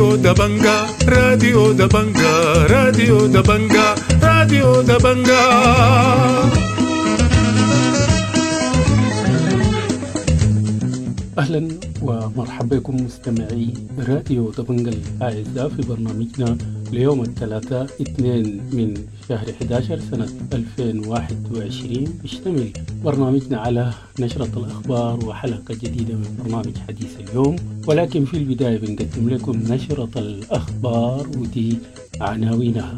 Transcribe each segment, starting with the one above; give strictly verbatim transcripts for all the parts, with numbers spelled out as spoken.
راديو دبنجا، راديو دبنجا، راديو دبنجا، راديو دبنجا. أهلا ومرحبا بكم مستمعي راديو دبنجا الأعزاء في برنامجنا ليوم الثلاثاء اثنين من شهر أحد عشر سنة ألفين وواحد وعشرين. بيشتمل برنامجنا على نشرة الأخبار وحلقة جديدة من برنامج حديث اليوم، ولكن في البداية بنقدم لكم نشرة الأخبار ودي عناوينها.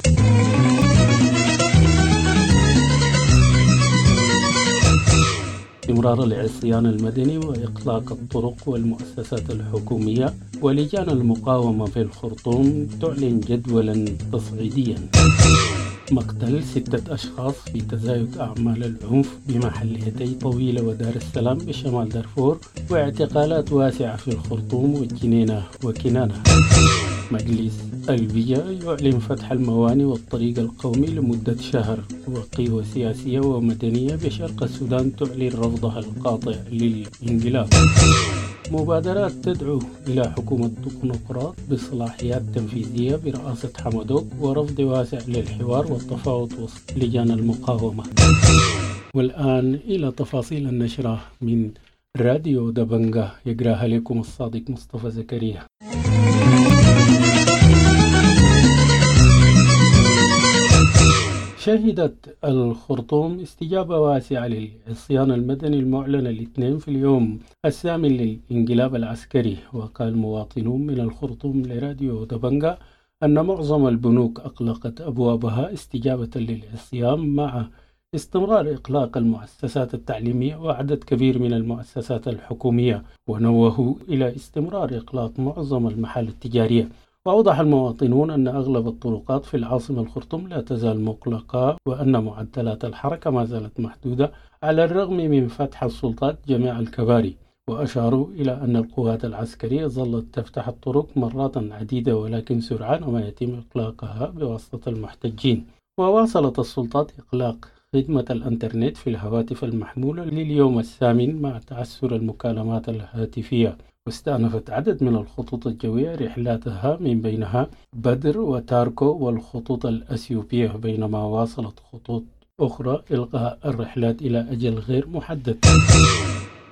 استمرار العصيان المدني وإغلاق الطرق والمؤسسات الحكومية، ولجان المقاومة في الخرطوم تعلن جدولا تصعيديا. مقتل ستة أشخاص في تزايد أعمال العنف بمحليتي طويلة ودار السلام بشمال دارفور، واعتقالات واسعة في الخرطوم والجنينة وكنانة. مجلس البيئة يعلن فتح الموانئ والطريق القومي لمدة شهر، وقوى سياسية ومدنية بشرق السودان تعلن رفضها القاطع للانقلاب. مبادرات تدعو إلى حكومة تكنوقراط بصلاحيات تنفيذية برئاسة حمدوك، ورفض واسع للحوار والتفاوض وسط لجان المقاومة. والآن إلى تفاصيل النشرة من راديو دبنجا، يقراها لكم الصادق مصطفى زكريا. شهدت الخرطوم استجابة واسعة للعصيان المدني المعلن الاثنين في اليوم الثامن للانقلاب العسكري. وقال مواطنون من الخرطوم لراديو دبنجا أن معظم البنوك أغلقت أبوابها استجابة للعصيان، مع استمرار إغلاق المؤسسات التعليمية وعدد كبير من المؤسسات الحكومية، ونوهوا إلى استمرار إغلاق معظم المحال التجارية. وأوضح المواطنون أن أغلب الطرقات في العاصمة الخرطوم لا تزال مغلقة، وأن معدلات الحركة ما زالت محدودة على الرغم من فتح السلطات جميع الكباري. وأشاروا إلى أن القوات العسكرية ظلت تفتح الطرق مرات عديدة، ولكن سرعان ما يتم إغلاقها بواسطة المحتجين. وواصلت السلطات إغلاق خدمة الإنترنت في الهواتف المحمولة لليوم الثامن مع تعثر المكالمات الهاتفية. واستأنفت عدد من الخطوط الجوية رحلاتها من بينها بدر وتاركو والخطوط الأثيوبية، بينما واصلت خطوط أخرى إلغاء الرحلات إلى أجل غير محدد.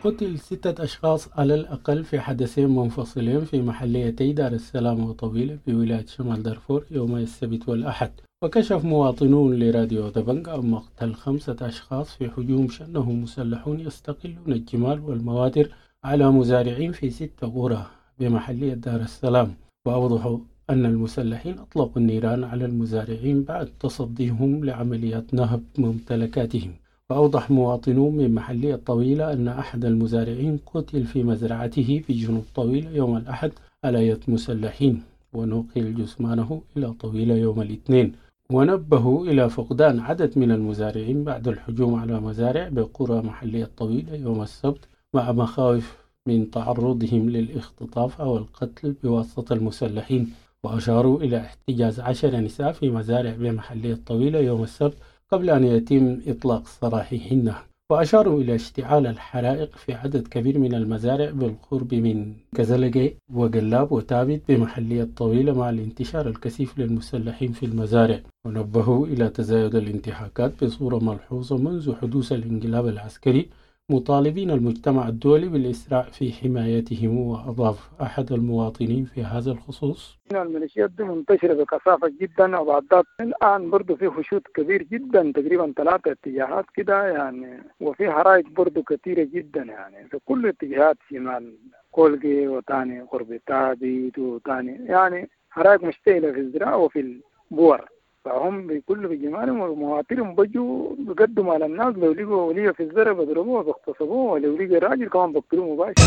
قتل ستة أشخاص على الأقل في حدثين منفصلين في محليتي دار السلام وطويلة بولاية شمال دارفور يوم السبت والأحد. وكشف مواطنون لراديو دبنجا عن مقتل خمسة أشخاص في هجوم شنه مسلحون يستقلون الجمال والمواتر على مزارعين في ست قرى بمحلية دار السلام. وأوضحوا أن المسلحين أطلقوا النيران على المزارعين بعد تصديهم لعمليات نهب ممتلكاتهم. وأوضح مواطنون من محلية طويلة أن أحد المزارعين قتل في مزرعته في جنوب طويلة يوم الأحد على يد مسلحين، ونقل جثمانه إلى طويلة يوم الاثنين. ونبهوا إلى فقدان عدد من المزارعين بعد الهجوم على مزارع بقرى محلية طويلة يوم السبت، مع مخاوف من تعرضهم للاختطاف أو القتل بواسطة المسلحين. وأشاروا إلى احتجاز عشر نساء في مزارع بمحلية طويلة يوم السبت قبل أن يتم إطلاق سراحهن. وأشاروا إلى اشتعال الحرائق في عدد كبير من المزارع بالقرب من كزلجي وقلاب وتابت بمحلية طويلة مع الانتشار الكثيف للمسلحين في المزارع. ونبهوا إلى تزايد الانتهاكات بصورة ملحوظة منذ حدوث الانقلاب العسكري، مطالبين المجتمع الدولي بالإسراع في حمايتهم. وأضاف أحد المواطنين في هذا الخصوص: الميليشيات دي منتشرة بكثافة جدا، وبعد الآن برضو في خشوط كبير جدا، تقريبا ثلاثة اتجاهات كده يعني، وفي حرائق برضو كثيرة جدا يعني في كل اتجاهات، شمال كولجي وتاني قرب تابيت وتاني، يعني حرائق مشتعلة في الزراعة وفي البور. فهم بكل بجمالهم ومواطنهم بيجوا بيقدموا على الناس، لو لقوا ولية في الزرع بيضربوه وبيغتصبوه، ولو لقوا راجل كمان بيقتلوه مباشرة.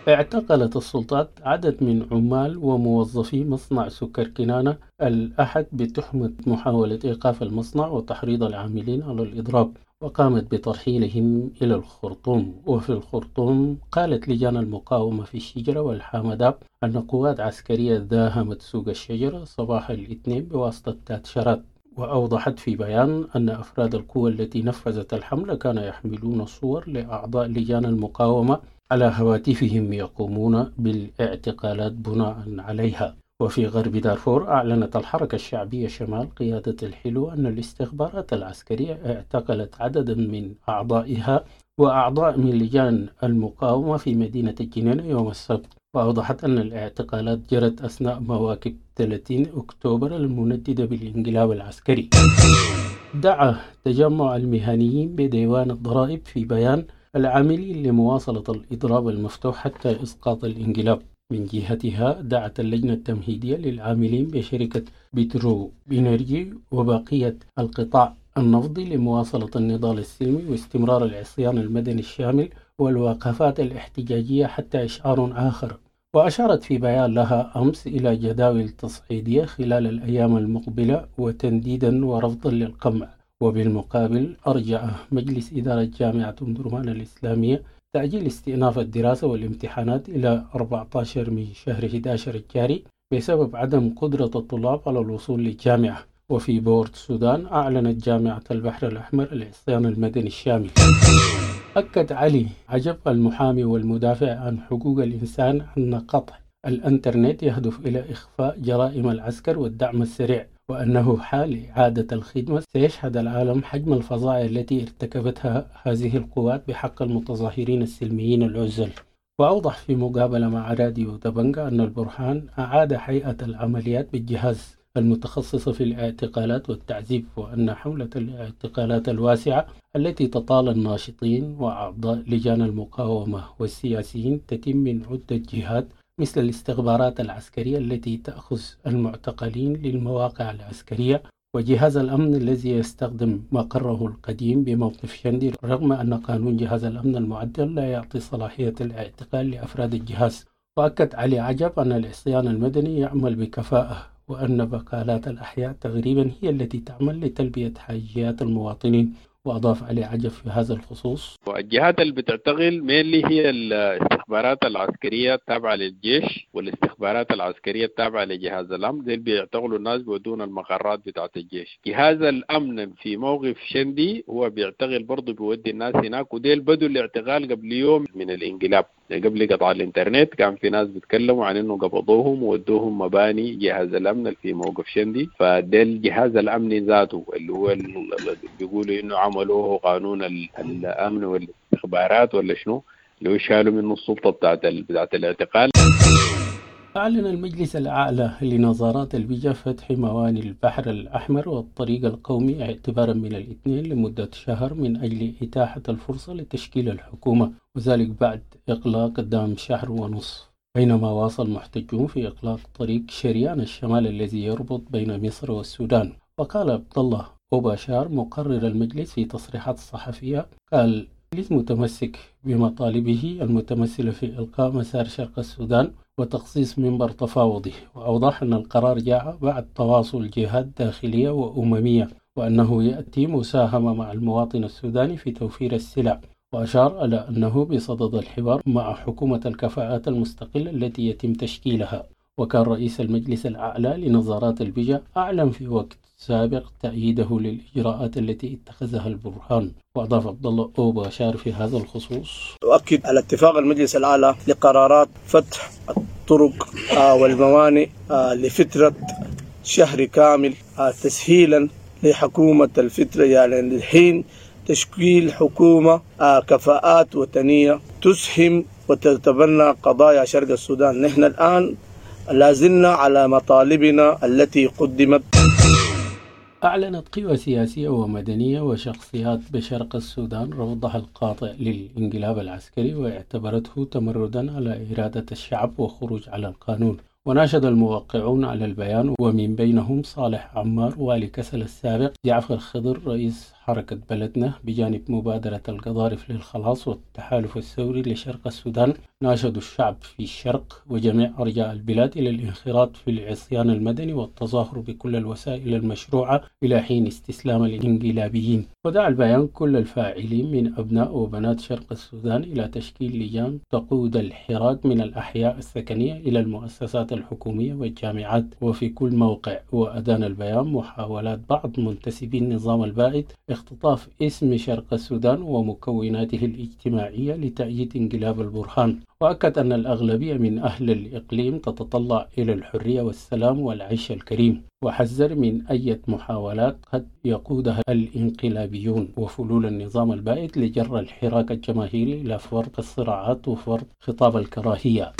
اعتقلت السلطات عدد من عمال وموظفي مصنع سكر كنانة الأحد بتهمة محاولة إيقاف المصنع وتحريض العاملين على الإضراب، وقامت بترحيلهم إلى الخرطوم. وفي الخرطوم قالت لجان المقاومة في الشجرة والحامداب أن قوات عسكرية داهمت سوق الشجرة صباح الاثنين بواسطة تاتشرات. وأوضحت في بيان أن أفراد القوة التي نفذت الحملة كانوا يحملون صور لأعضاء لجان المقاومة على هواتفهم يقومون بالاعتقالات بناء عليها. وفي غرب دارفور، أعلنت الحركة الشعبية شمال قيادة الحلو أن الاستخبارات العسكرية اعتقلت عددا من أعضائها وأعضاء من لجان المقاومة في مدينة الجنينة يوم السبت. وأوضحت أن الاعتقالات جرت أثناء مواكب ثلاثين أكتوبر المنددة بالانقلاب العسكري. دعا تجمع المهنيين بديوان الضرائب في بيان العاملين لمواصلة الإضراب المفتوح حتى إسقاط الانقلاب. من جهتها، دعت اللجنة التمهيدية للعاملين بشركة بترو إنرجي وبقية القطاع النفطي لمواصلة النضال السلمي واستمرار العصيان المدني الشامل والوقفات الاحتجاجية حتى إشعار آخر. وأشارت في بيان لها أمس إلى جداول تصعيدية خلال الأيام المقبلة وتنديدا ورفضا للقمع. وبالمقابل، أرجع مجلس إدارة جامعة أم درمان الإسلامية تأجيل استئناف الدراسة والامتحانات إلى أربعة عشر من شهر إحدى عشر الجاري بسبب عدم قدرة الطلاب على الوصول للجامعة. وفي بورت السودان، أعلنت جامعة البحر الأحمر العصيان المدني الشامل. أكد علي عجب، المحامي والمدافع عن حقوق الإنسان، أن قطع الإنترنت يهدف إلى إخفاء جرائم العسكر والدعم السريع، وأنه حال إعادة الخدمة سيشهد العالم حجم الفظائع التي ارتكبتها هذه القوات بحق المتظاهرين السلميين العزل. وأوضح في مقابلة مع راديو دبنقا أن البرهان أعاد هيئة العمليات بالجهاز المتخصصة في الاعتقالات والتعذيب، وأن حملة الاعتقالات الواسعة التي تطال الناشطين وأعضاء لجان المقاومة والسياسيين تتم من عدة جهات، مثل الاستخبارات العسكرية التي تأخذ المعتقلين للمواقع العسكرية، وجهاز الأمن الذي يستخدم مقره القديم بموقف شندي، رغم أن قانون جهاز الأمن المعدل لا يعطي صلاحية الاعتقال لأفراد الجهاز. وأكد علي عجب أن العصيان المدني يعمل بكفاءة، وأن بقالات الأحياء تقريبا هي التي تعمل لتلبية حاجيات المواطنين. وأضاف علي عجب في هذا الخصوص: الجهات اللي بتعتقل mainly هي الاستخبارات العسكرية التابعة للجيش والاستخبارات العسكرية التابعة لجهاز الأمن. ديل بيعتقلوا الناس بيودون المقرات بتاعت الجيش. جهاز الأمن في موقف شندي هو بيعتقل برضه، بيودي الناس هناك. وديل بدوا الاعتقال قبل يوم من الانقلاب، قبل قطع الانترنت كان في ناس بيتكلموا عن انه قبضوهم وودوهم مباني جهاز الامن في موقف شندي. فديل جهاز الامن ذاته اللي هو بيقولوا انه عملوه قانون الامن والاستخبارات ولا شنو، اللي هو شالوا منه السلطه بتاعت بتاعت الاعتقال. أعلن المجلس الأعلى لنظارات البجا فتح مواني البحر الأحمر والطريق القومي اعتبارا من الاثنين لمدة شهر من أجل إتاحة الفرصة لتشكيل الحكومة، وذلك بعد إغلاق دام شهر ونصف، بينما واصل محتجون في إغلاق طريق شريان الشمال الذي يربط بين مصر والسودان. وقال عبد الله أوباشار، مقرر المجلس، في تصريحات صحفية، قال: المجلس متمسك بمطالبه المتمثلة في إلغاء مسار شرق السودان وتخصيص منبر تفاوضي. وأوضح أن القرار جاء بعد تواصل جهات داخلية وأممية، وأنه يأتي مساهمة مع المواطن السوداني في توفير السلع. وأشار إلى أنه بصدد الحوار مع حكومة الكفاءات المستقلة التي يتم تشكيلها. وكان رئيس المجلس الأعلى لنظارات البجا أعلن في وقت سابق تأييده للإجراءات التي اتخذها البرهان. وأضاف عبد الله أوباشار في هذا الخصوص: أؤكد على اتفاق المجلس الأعلى لقرارات فتح الطرق والموانئ لفترة شهر كامل تسهيلا لحكومة الفترة، يعني لحين تشكيل حكومة كفاءات وطنية تسهم وتتبنى قضايا شرق السودان. نحن الآن لازلنا على مطالبنا التي قدمت. أعلنت قوى سياسية ومدنية وشخصيات بشرق السودان رفضها القاطع للانقلاب العسكري، واعتبرته تمردا على إرادة الشعب وخروج على القانون. وناشد الموقعون على البيان، ومن بينهم صالح عمار والي كسلا السابق، جعفر خضر رئيس حركة بلدنا بجانب مبادرة القضارف للخلاص والتحالف الثوري لشرق السودان، ناشدوا الشعب في الشرق وجميع أرجاء البلاد إلى الانخراط في العصيان المدني والتظاهر بكل الوسائل المشروعة إلى حين استسلام الانقلابيين. ودعا البيان كل الفاعلين من أبناء وبنات شرق السودان إلى تشكيل لجان تقود الحراك من الأحياء السكنية إلى المؤسسات الحكومية والجامعات وفي كل موقع. وأدان البيان محاولات بعض منتسبي النظام البائد اختطاف اسم شرق السودان ومكوناته الاجتماعية لتأييد انقلاب البرهان. وأكد أن الأغلبية من أهل الإقليم تتطلع إلى الحرية والسلام والعيش الكريم، وحذر من أي محاولات قد يقودها الانقلابيون وفلول النظام البائد لجر الحراك الجماهيري إلى فرض الصراعات وفرض خطاب الكراهية.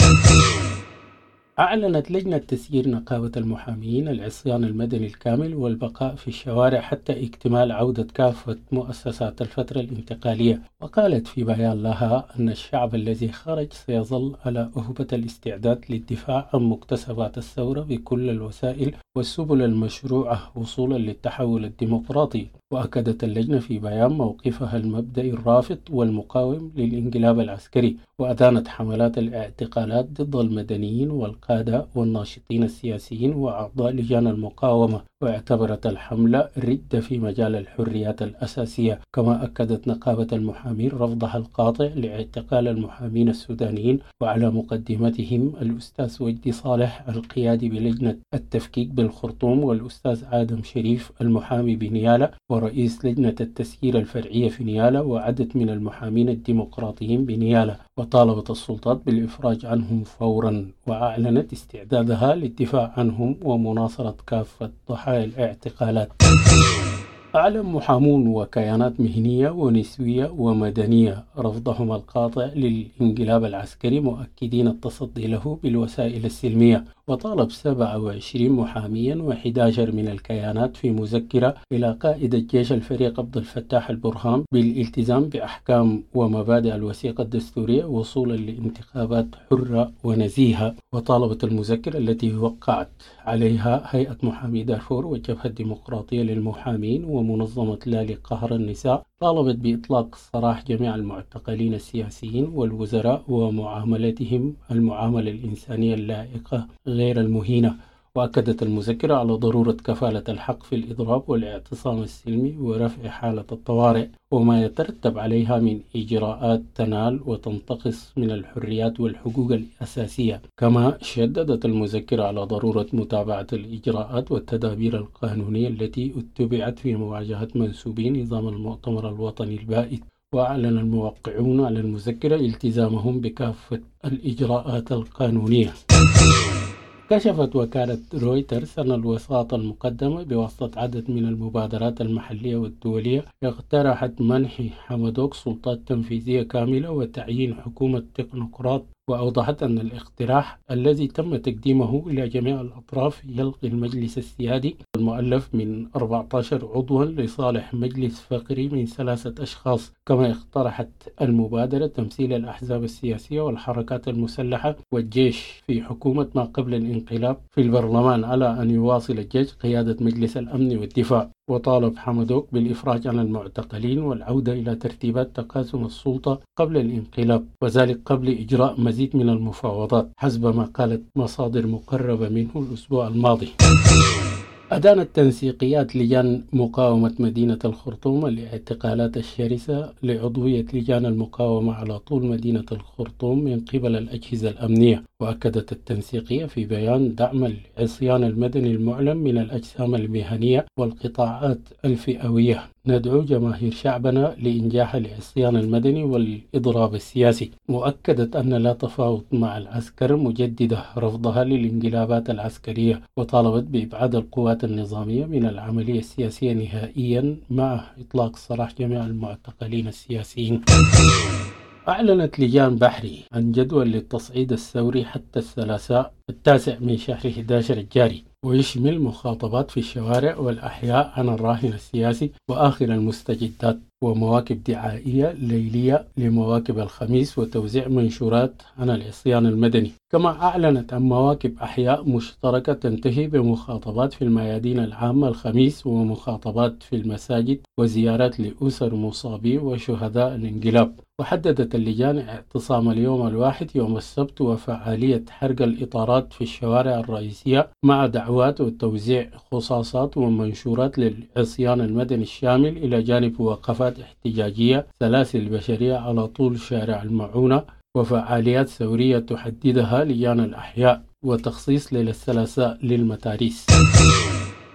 أعلنت لجنة تسيير نقابة المحامين العصيان المدني الكامل والبقاء في الشوارع حتى اكتمال عودة كافة مؤسسات الفترة الانتقالية. وقالت في بيان لها أن الشعب الذي خرج سيظل على أهبة الاستعداد للدفاع عن مكتسبات الثورة بكل الوسائل والسبل المشروعة وصولا للتحول الديمقراطي. وأكدت اللجنة في بيان موقفها المبدئي الرافض والمقاوم للانقلاب العسكري، وأدانت حملات الاعتقالات ضد المدنيين والقادة والناشطين السياسيين وأعضاء لجان المقاومة، واعتبرت الحملة ردة في مجال الحريات الأساسية. كما أكدت نقابة المحامين رفضها القاطع لاعتقال المحامين السودانيين، وعلى مقدمتهم الأستاذ وجدي صالح القيادي بلجنة التفكيك بالخرطوم، والأستاذ آدم شريف المحامي بنيالا ورئيس لجنة التسيير الفرعية في نيالا، وعدد من المحامين الديمقراطيين بنيالا. وطالبت السلطات بالإفراج عنهم فورا، وأعلنت استعدادها للدفاع عنهم ومناصرة كافة ضحايا الاعتقالات. أعلن محامون وكيانات مهنية ونسوية ومدنية رفضهم القاطع للانقلاب العسكري، مؤكدين التصدي له بالوسائل السلمية. وطالب سبعة وعشرين محاميا وأحد عشر من الكيانات في مذكرة إلى قائد الجيش الفريق عبد الفتاح البرهان بالالتزام بأحكام ومبادئ الوثيقة الدستورية وصولا لانتخابات حرة ونزيهة. وطالبت المذكرة التي وقعت عليها هيئة محامي دارفور والجبهة الديمقراطية للمحامين ومنظمة لا لقهر النساء، طالبت بإطلاق سراح جميع المعتقلين السياسيين والوزراء ومعاملتهم المعاملة الإنسانية اللائقة غير المهينة. وأكدت المذكرة على ضرورة كفالة الحق في الإضراب والاعتصام السلمي ورفع حالة الطوارئ وما يترتب عليها من إجراءات تنال وتنتقص من الحريات والحقوق الأساسية. كما شددت المذكرة على ضرورة متابعة الإجراءات والتدابير القانونية التي اتبعت في مواجهة منسوبي نظام المؤتمر الوطني البائد. وأعلن الموقعون على المذكرة التزامهم بكافة الإجراءات القانونية. كشفت وكالة رويترز أن الوساطة المقدمة بواسطة عدد من المبادرات المحلية والدولية اقترحت منح حمدوك سلطات تنفيذية كاملة وتعيين حكومة تكنوقراط. وأوضحت أن الاقتراح الذي تم تقديمه إلى جميع الأطراف يلغي المجلس السيادي المؤلف من أربعة عشر عضوا لصالح مجلس فقري من ثلاثة أشخاص. كما اقترحت المبادرة تمثيل الأحزاب السياسية والحركات المسلحة والجيش في حكومة ما قبل الانقلاب في البرلمان، على أن يواصل الجيش قيادة مجلس الأمن والدفاع. وطالب حمدوك بالإفراج عن المعتقلين والعودة إلى ترتيبات تقاسم السلطة قبل الانقلاب، وذلك قبل إجراء مزيد من المفاوضات حسب ما قالت مصادر مقربة منه الأسبوع الماضي. أدانت تنسيقيات لجان مقاومة مدينة الخرطوم الاعتقالات الشرسة لعضوية لجان المقاومة على طول مدينة الخرطوم من قبل الأجهزة الأمنية. وأكدت التنسيقية في بيان دعم العصيان المدني المعلن من الأجسام المهنية والقطاعات الفئوية. ندعو جماهير شعبنا لإنجاح العصيان المدني والإضراب السياسي. وأكدت أن لا تفاوض مع العسكر، مجددة رفضها للانقلابات العسكرية، وطالبت بإبعاد القوات النظامية من العملية السياسية نهائيا مع إطلاق سراح جميع المعتقلين السياسيين. أعلنت لجان بحري عن جدول للتصعيد الثوري حتى الثلاثاء التاسع من شهر أحد عشر الجاري، ويشمل مخاطبات في الشوارع والأحياء عن الراهن السياسي وآخر المستجدات، ومواكب دعائية ليلية لمواكب الخميس، وتوزيع منشورات عن العصيان المدني. كما أعلنت عن مواكب أحياء مشتركة تنتهي بمخاطبات في الميادين العامة الخميس، ومخاطبات في المساجد، وزيارات لأسر مصابي وشهداء الانقلاب. وحددت اللجان اعتصام اليوم الواحد يوم السبت وفعالية حرق الإطارات في الشوارع الرئيسية مع دعوات وتوزيع خصاصات ومنشورات للعصيان المدني الشامل، إلى جانب وقفات احتجاجية سلاسل بشرية على طول شارع المعونة، وفعاليات ثورية تحددها لجان الأحياء، وتخصيص ليلة الثلاثاء للمتاريس.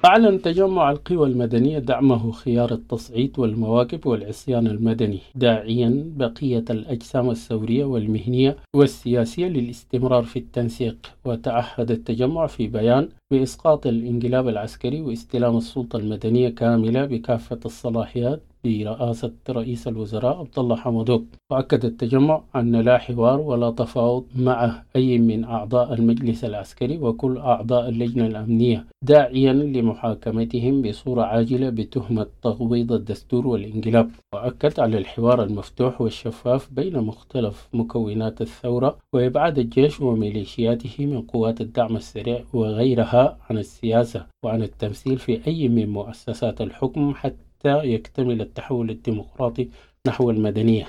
أعلن تجمع القوى المدنية دعمه خيار التصعيد والمواكب والعصيان المدني، داعيا بقية الأجسام الثورية والمهنية والسياسية للاستمرار في التنسيق. وتعهد التجمع في بيان بإسقاط الانقلاب العسكري واستلام السلطة المدنية كاملة بكافة الصلاحيات برئاسة رئيس الوزراء عبد الله حمدوك. وأكد التجمع أن لا حوار ولا تفاوض مع أي من أعضاء المجلس العسكري وكل أعضاء اللجنة الأمنية، داعيا لمحاكمتهم بصورة عاجلة بتهمة تغويض الدستور والانقلاب. وأكد على الحوار المفتوح والشفاف بين مختلف مكونات الثورة وإبعاد الجيش وميليشياته من قوات الدعم السريع وغيرها عن السياسة وعن التمثيل في أي من مؤسسات الحكم حتى يكتمل التحول الديمقراطي نحو المدنية.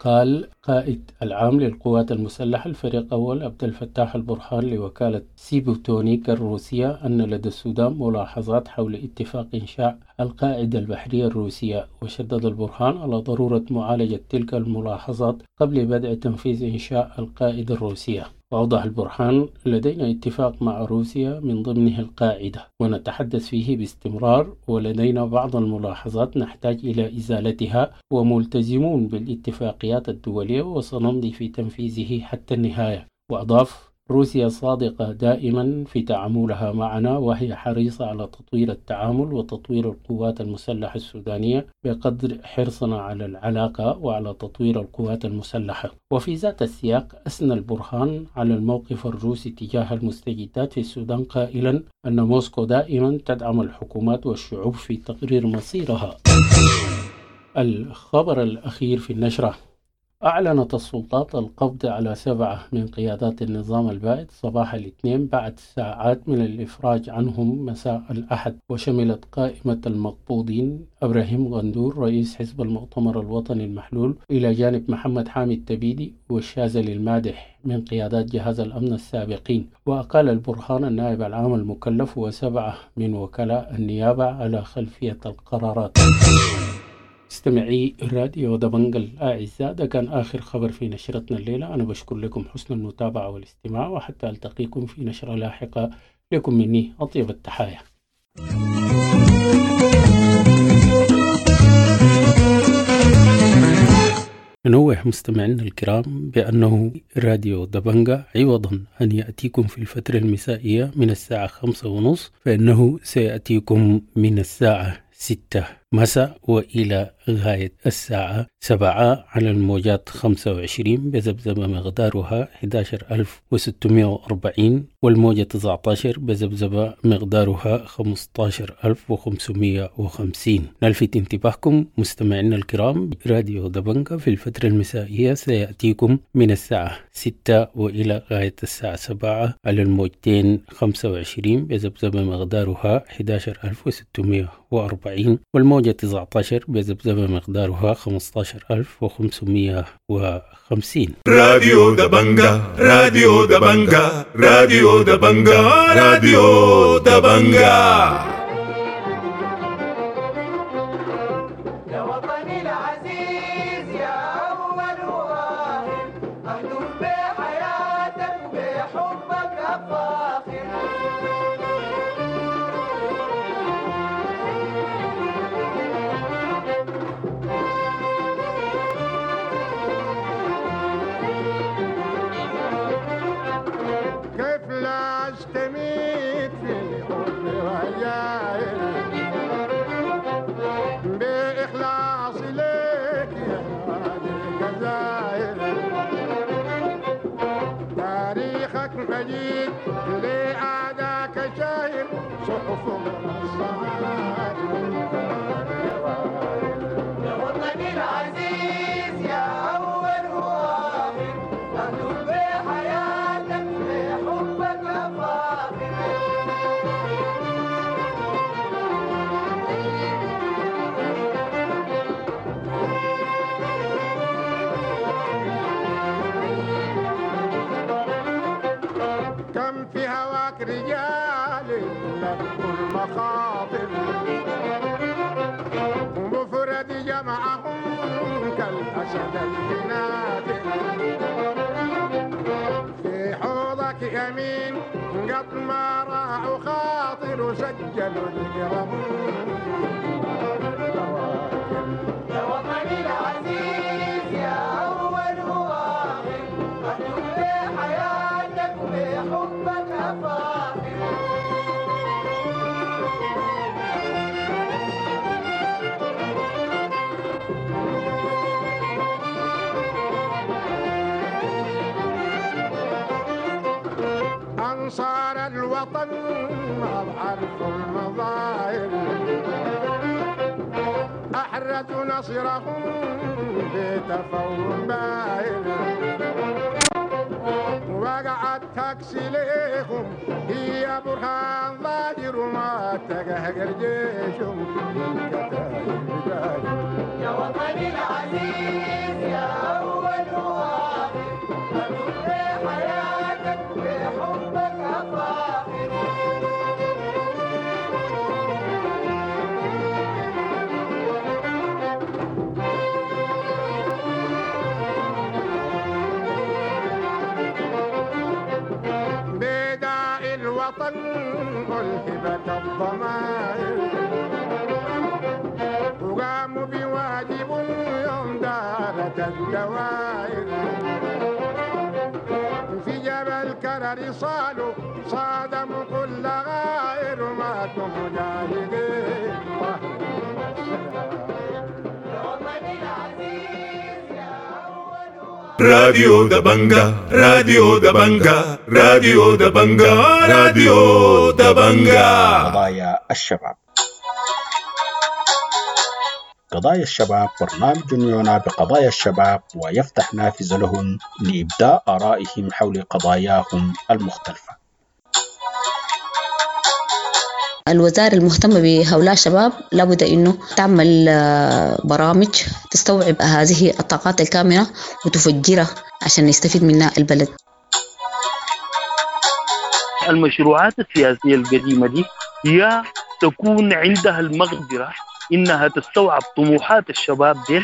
قال قائد العام للقوات المسلحة الفريق أول عبد الفتاح البرهان لوكالة سيبوتونيك الروسية أن لدى السودان ملاحظات حول اتفاق إنشاء القاعدة البحرية الروسية. وشدد البرهان على ضرورة معالجة تلك الملاحظات قبل بدء تنفيذ إنشاء القاعدة الروسية. وأوضح البرهان: لدينا اتفاق مع روسيا من ضمنه القاعدة ونتحدث فيه باستمرار، ولدينا بعض الملاحظات نحتاج إلى إزالتها، وملتزمون بالاتفاقيات الدولية وسنمضي في تنفيذه حتى النهاية. وأضاف: روسيا صادقة دائما في تعاملها معنا، وهي حريصة على تطوير التعامل وتطوير القوات المسلحة السودانية بقدر حرصنا على العلاقة وعلى تطوير القوات المسلحة. وفي ذات السياق أثنى البرهان على الموقف الروسي تجاه المستجدات في السودان، قائلا أن موسكو دائما تدعم الحكومات والشعوب في تقرير مصيرها. الخبر الأخير في النشرة: أعلنت السلطات القبض على سبعة من قيادات النظام البائد صباح الاثنين بعد ساعات من الإفراج عنهم مساء الأحد. وشملت قائمة المقبوضين إبراهيم غندور رئيس حزب المؤتمر الوطني المحلول، إلى جانب محمد حامد تبيدي والشاذلي المادح من قيادات جهاز الأمن السابقين. وأقال البرهان النائب العام المكلف وسبعة من وكلاء النيابة على خلفية القرارات. استمعي راديو دبنجل الأعزاء، ده كان آخر خبر في نشرتنا الليلة. أنا بشكر لكم حسن المتابعة والاستماع، وحتى ألتقيكم في نشرة لاحقة. لكم مني أطيب التحايا. ننوه مستمعينا الكرام بأنه راديو دبنجا عوضا أن يأتيكم في الفترة المسائية من الساعة خمسة ونص، فإنه سيأتيكم من الساعة ستة مساء وإلى غاية الساعة سبعة على الموجات خمسة وعشرين بذبذبة مقدارها أحد عشر ألف وستمائة وأربعين، والموجة تسعة عشر بذبذبة مقدارها خمسة عشر ألف وخمسمائة وخمسين. نلفت انتباهكم مستمعينا الكرام، راديو دبنجا في الفترة المسائية سيأتيكم من الساعة ستة وإلى غاية الساعة سبعة على الموجتين خمسة وعشرين بذبذبة مقدارها أحد عشر ألف وستمائة وأربعين، والموجة تسعة عشر بذبذبة مقدارها خمسة عشر ألف وخمسمائة وخمسين. راديو دبنجا، راديو دبنجا، راديو دبنجا، راديو دبنجا. يا وطني العزيز يا أول وآخر، أهدف بحياتك بحبك أفاخر. كيف لا اشتميت في حب رجائي بإخلاص لك يا وادي الجزائر، تاريخك مجيد لأعداك شاهر، صحف منصات. يا وطني العزيز يا أول وآخر، أهدف بحياتك بحبك أفاخر. كم في هواك رجال لبوا المخاطر، ومفرد جمعهم كالأسد البنادر. في حوضك يمين قد ما راعوا خاطر وسجلوا ذكرهم. يا وطني العزيز يا أول وآخر، أدوم بحياتك وبحبك أفاخر. أنصار الوطن ما بعرفوا المظاهر، أحرزوا نصرهم بتفوق باهر، وقعت تاكسي ليهم هي برهان ظاهر، وما تقهقر جيشهم من كتائب داير. يا وطني العزيز يا أول وآخر، أدوم بحياتك وبحبك أفاخر. بداء الوطن ألهبت الضمائر، وقاموا بواجب يوم دارت الدوائر، في جبل كرر صالوا صادموا كل غائر، وماتوا مجاهدين طهروا السرائر. يا وطني العزيز يا أول وآخر. راديو دبنجا، راديو دبنجا، راديو دبنجا، راديو دبنجا. قضايا الشباب. قضايا الشباب برنامج يعنى بقضايا الشباب ويفتح نافذة لهم لإبداء آرائهم حول قضاياهم المختلفة. الوزارة المهتمة بهؤلاء الشباب لابد أنه تعمل آه، برامج تستوعب هذه الطاقات الكامنة وتفجرها عشان يستفيد منها البلد. المشروعات السياسية القديمة دي يا تكون عندها المقدرة إنها تستوعب طموحات الشباب دي،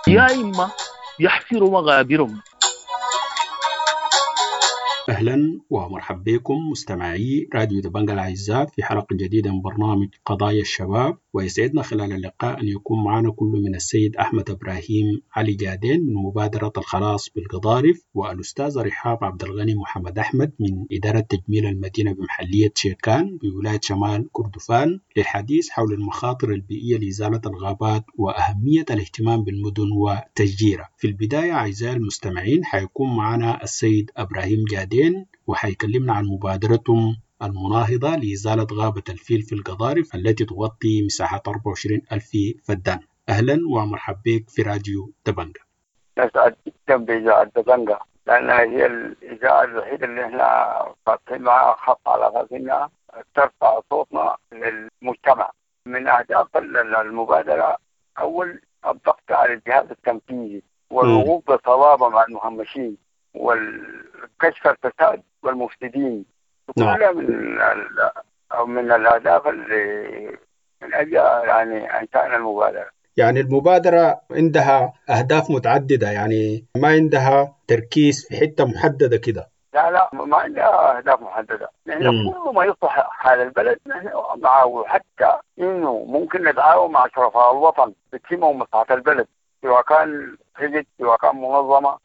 يا إما يحفروا مغابرهم. أهلا ومرحبا بكم مستمعي راديو دبنجا الأعزاء في حلقة جديدة من برنامج قضايا الشباب، ويسعدنا خلال اللقاء أن يكون معنا كل من السيد أحمد إبراهيم علي جادين من مبادرة الخلاص بالقضارف، والأستاذة رحاب عبد الغني محمد أحمد من إدارة تجميل المدينة بمحلية شيكان بولاية شمال كردفان، للحديث حول المخاطر البيئية لإزالة الغابات وأهمية الاهتمام بالمدن وتشجيرها. في البداية أعزائي المستمعين حيكون معنا السيد إبراهيم جادين وحيكلمنا عن مبادرتهم المناهضة لإزالة غابة الفيل في القضارف التي تغطي مساحة أربعة وعشرين ألف فدان. أهلا ومرحبا بك في راديو دبنجا. نسعد جدا بإذاعة دبنجا لأنها هي الإذاعة الوحيدة اللي احنا فاتحين معها خط على أساس إنها ترفع صوتنا للمجتمع. من أهداف المبادرة أول الضغط على الجهاز التنفيذي والوقوف بصلابة مع المهمشين والكشف الفساد والمفسدين. نعم. كلها من ال- من الأهداف اللي من أجل يعني إنشاء المبادرة. يعني المبادرة عندها أهداف متعددة، يعني ما عندها تركيز في حتة محددة كده. لا لا، ما عندها أهداف محددة. نحن مم. كل ما يصلح حال البلد نحن معه، حتى إنه ممكن نتعاون مع شرفاء الوطن بتهمهم مصلحة البلد، سواء كان حزب سواء كان منظمة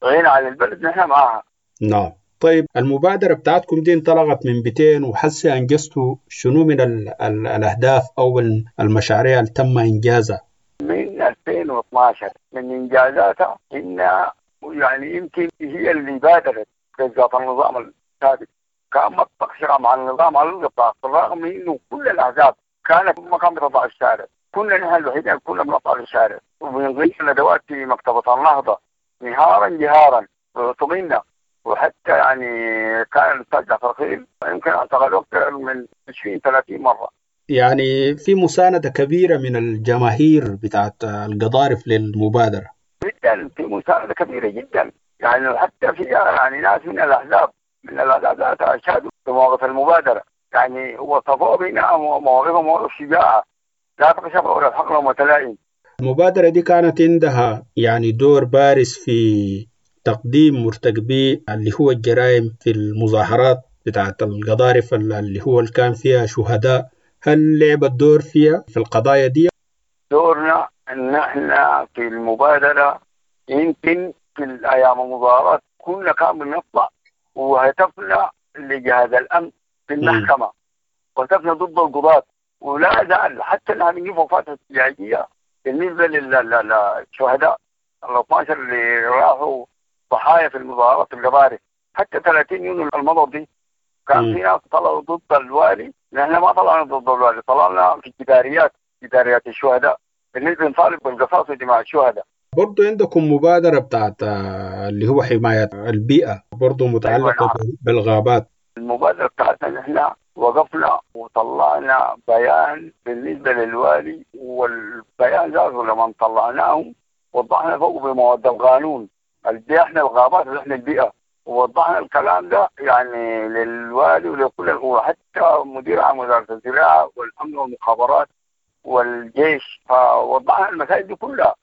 غير على البلد نحن معها. نعم. طيب المبادرة بتاعتكم دي انطلقت من بيتين، وحسي أنجزتوا شنو من ال ال الأهداف أو المشاريع اللي تم إنجازها؟ من ألفين واثناشر من إنجازاتها إن يعني يمكن هي اللي بادرت بالذات النظام السابق، كان متقشرة مع النظام على الإطلاق، بالرغم من إنه كل الأحزاب كانت ما كانت بتطلع الشارع، كنا نحن الوحيدين كنا بنطلع الشارع وبنغير ندوات في مكتبة النهضة نهارا جهارا وطمنا، وحتى يعني كان الأستاذ جعفر خيل يمكن اعتقلوه أكثر من عشرين ثلاثين مرة. يعني في مساندة كبيرة من الجماهير بتاعت القضارف للمبادرة. جدا، في مساندة كبيرة جدا، يعني حتى في يعني ناس من الأحزاب من الأحزاب ذاتها أشادوا بمواقف المبادرة، يعني وصفوه بأنها مواقفهم مواقف شجاعة لا تخشى ولا الحق لهم متلائم. المبادرة دي كانت عندها يعني دور بارز في تقديم مرتكبي اللي هو الجرائم في المظاهرات بتاعت القضارف اللي هو اللي كان فيها شهداء، هل لعبت دور فيها في القضايا دي؟ دورنا ان احنا في المبادرة يمكن في الايام المظاهرات كنا كان بنطلع وهتفنا لجهاز الامن في المحكمة وهتفنا ضد القضاة، ولا زال حتى الان بنجيب وفاة احتجاجية بالنسبة للشهداء ال اثنا عشر اللي راحوا ضحايا في المظاهرات القضارف. حتى ثلاثين يونيو المضى دي كان في ناس طلعوا ضد الوالي، نحن ما طلعنا ضد الوالي، طلعنا في جداريات جداريات الشهداء بالنسبة نطالب بالقصاص ودماء الشهداء. برضو عندكم مبادرة بتاعت اللي هو حماية البيئة برضو متعلقة أيوة نعم. بالغابات. المبادرة بتاعتنا نحن وقفنا وطلعنا بيان بالنسبة للوالي، والبيان ذاته لما طلعناه وضحنا فوق بمواد القانون اللي احنا الغابات اللي احنا البيئة، ووضحنا الكلام ده يعني للوالي ولكل القوى، حتى مدير عام وزارة الزراعة والأمن والمخابرات والجيش، فوضحنا المسائل دي كلها.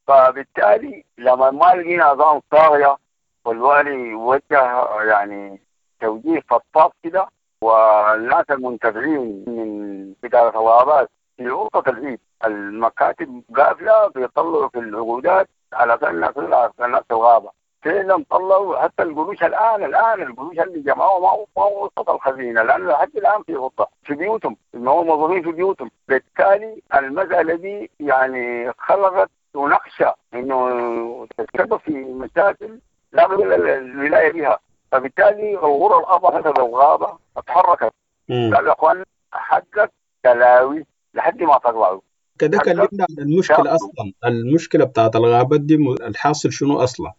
فبالتالي لما ما لقينا اذان طاغية والوالي وجه يعني توجيه فضفاض كده، والناس المنتفعين من إدارة الغابات في غرفة العيد المكاتب قافلة بيطلعوا في العقودات على الناس الناس الغابة فعلا طلعوا حتى القروش. الان الان القروش اللي جمعوها ما ما وصلت الخزينة، لانه لحد الان في غطه في بيوتهم، ما هو موظفين في بيوتهم. بالتالي المسالة دي يعني خلقت ونخشى انه تتسبب في مشاكل لا بد الولاية بها. فبالتالي الغرة الاربعة حسب الغابة اتحركت، قال يا اخوان حقك تلاوي لحد ما تطلعوا. كده كلمنا عن المشكلة اصلا، المشكلة بتاعت الغابات دي الحاصل شنو اصلا؟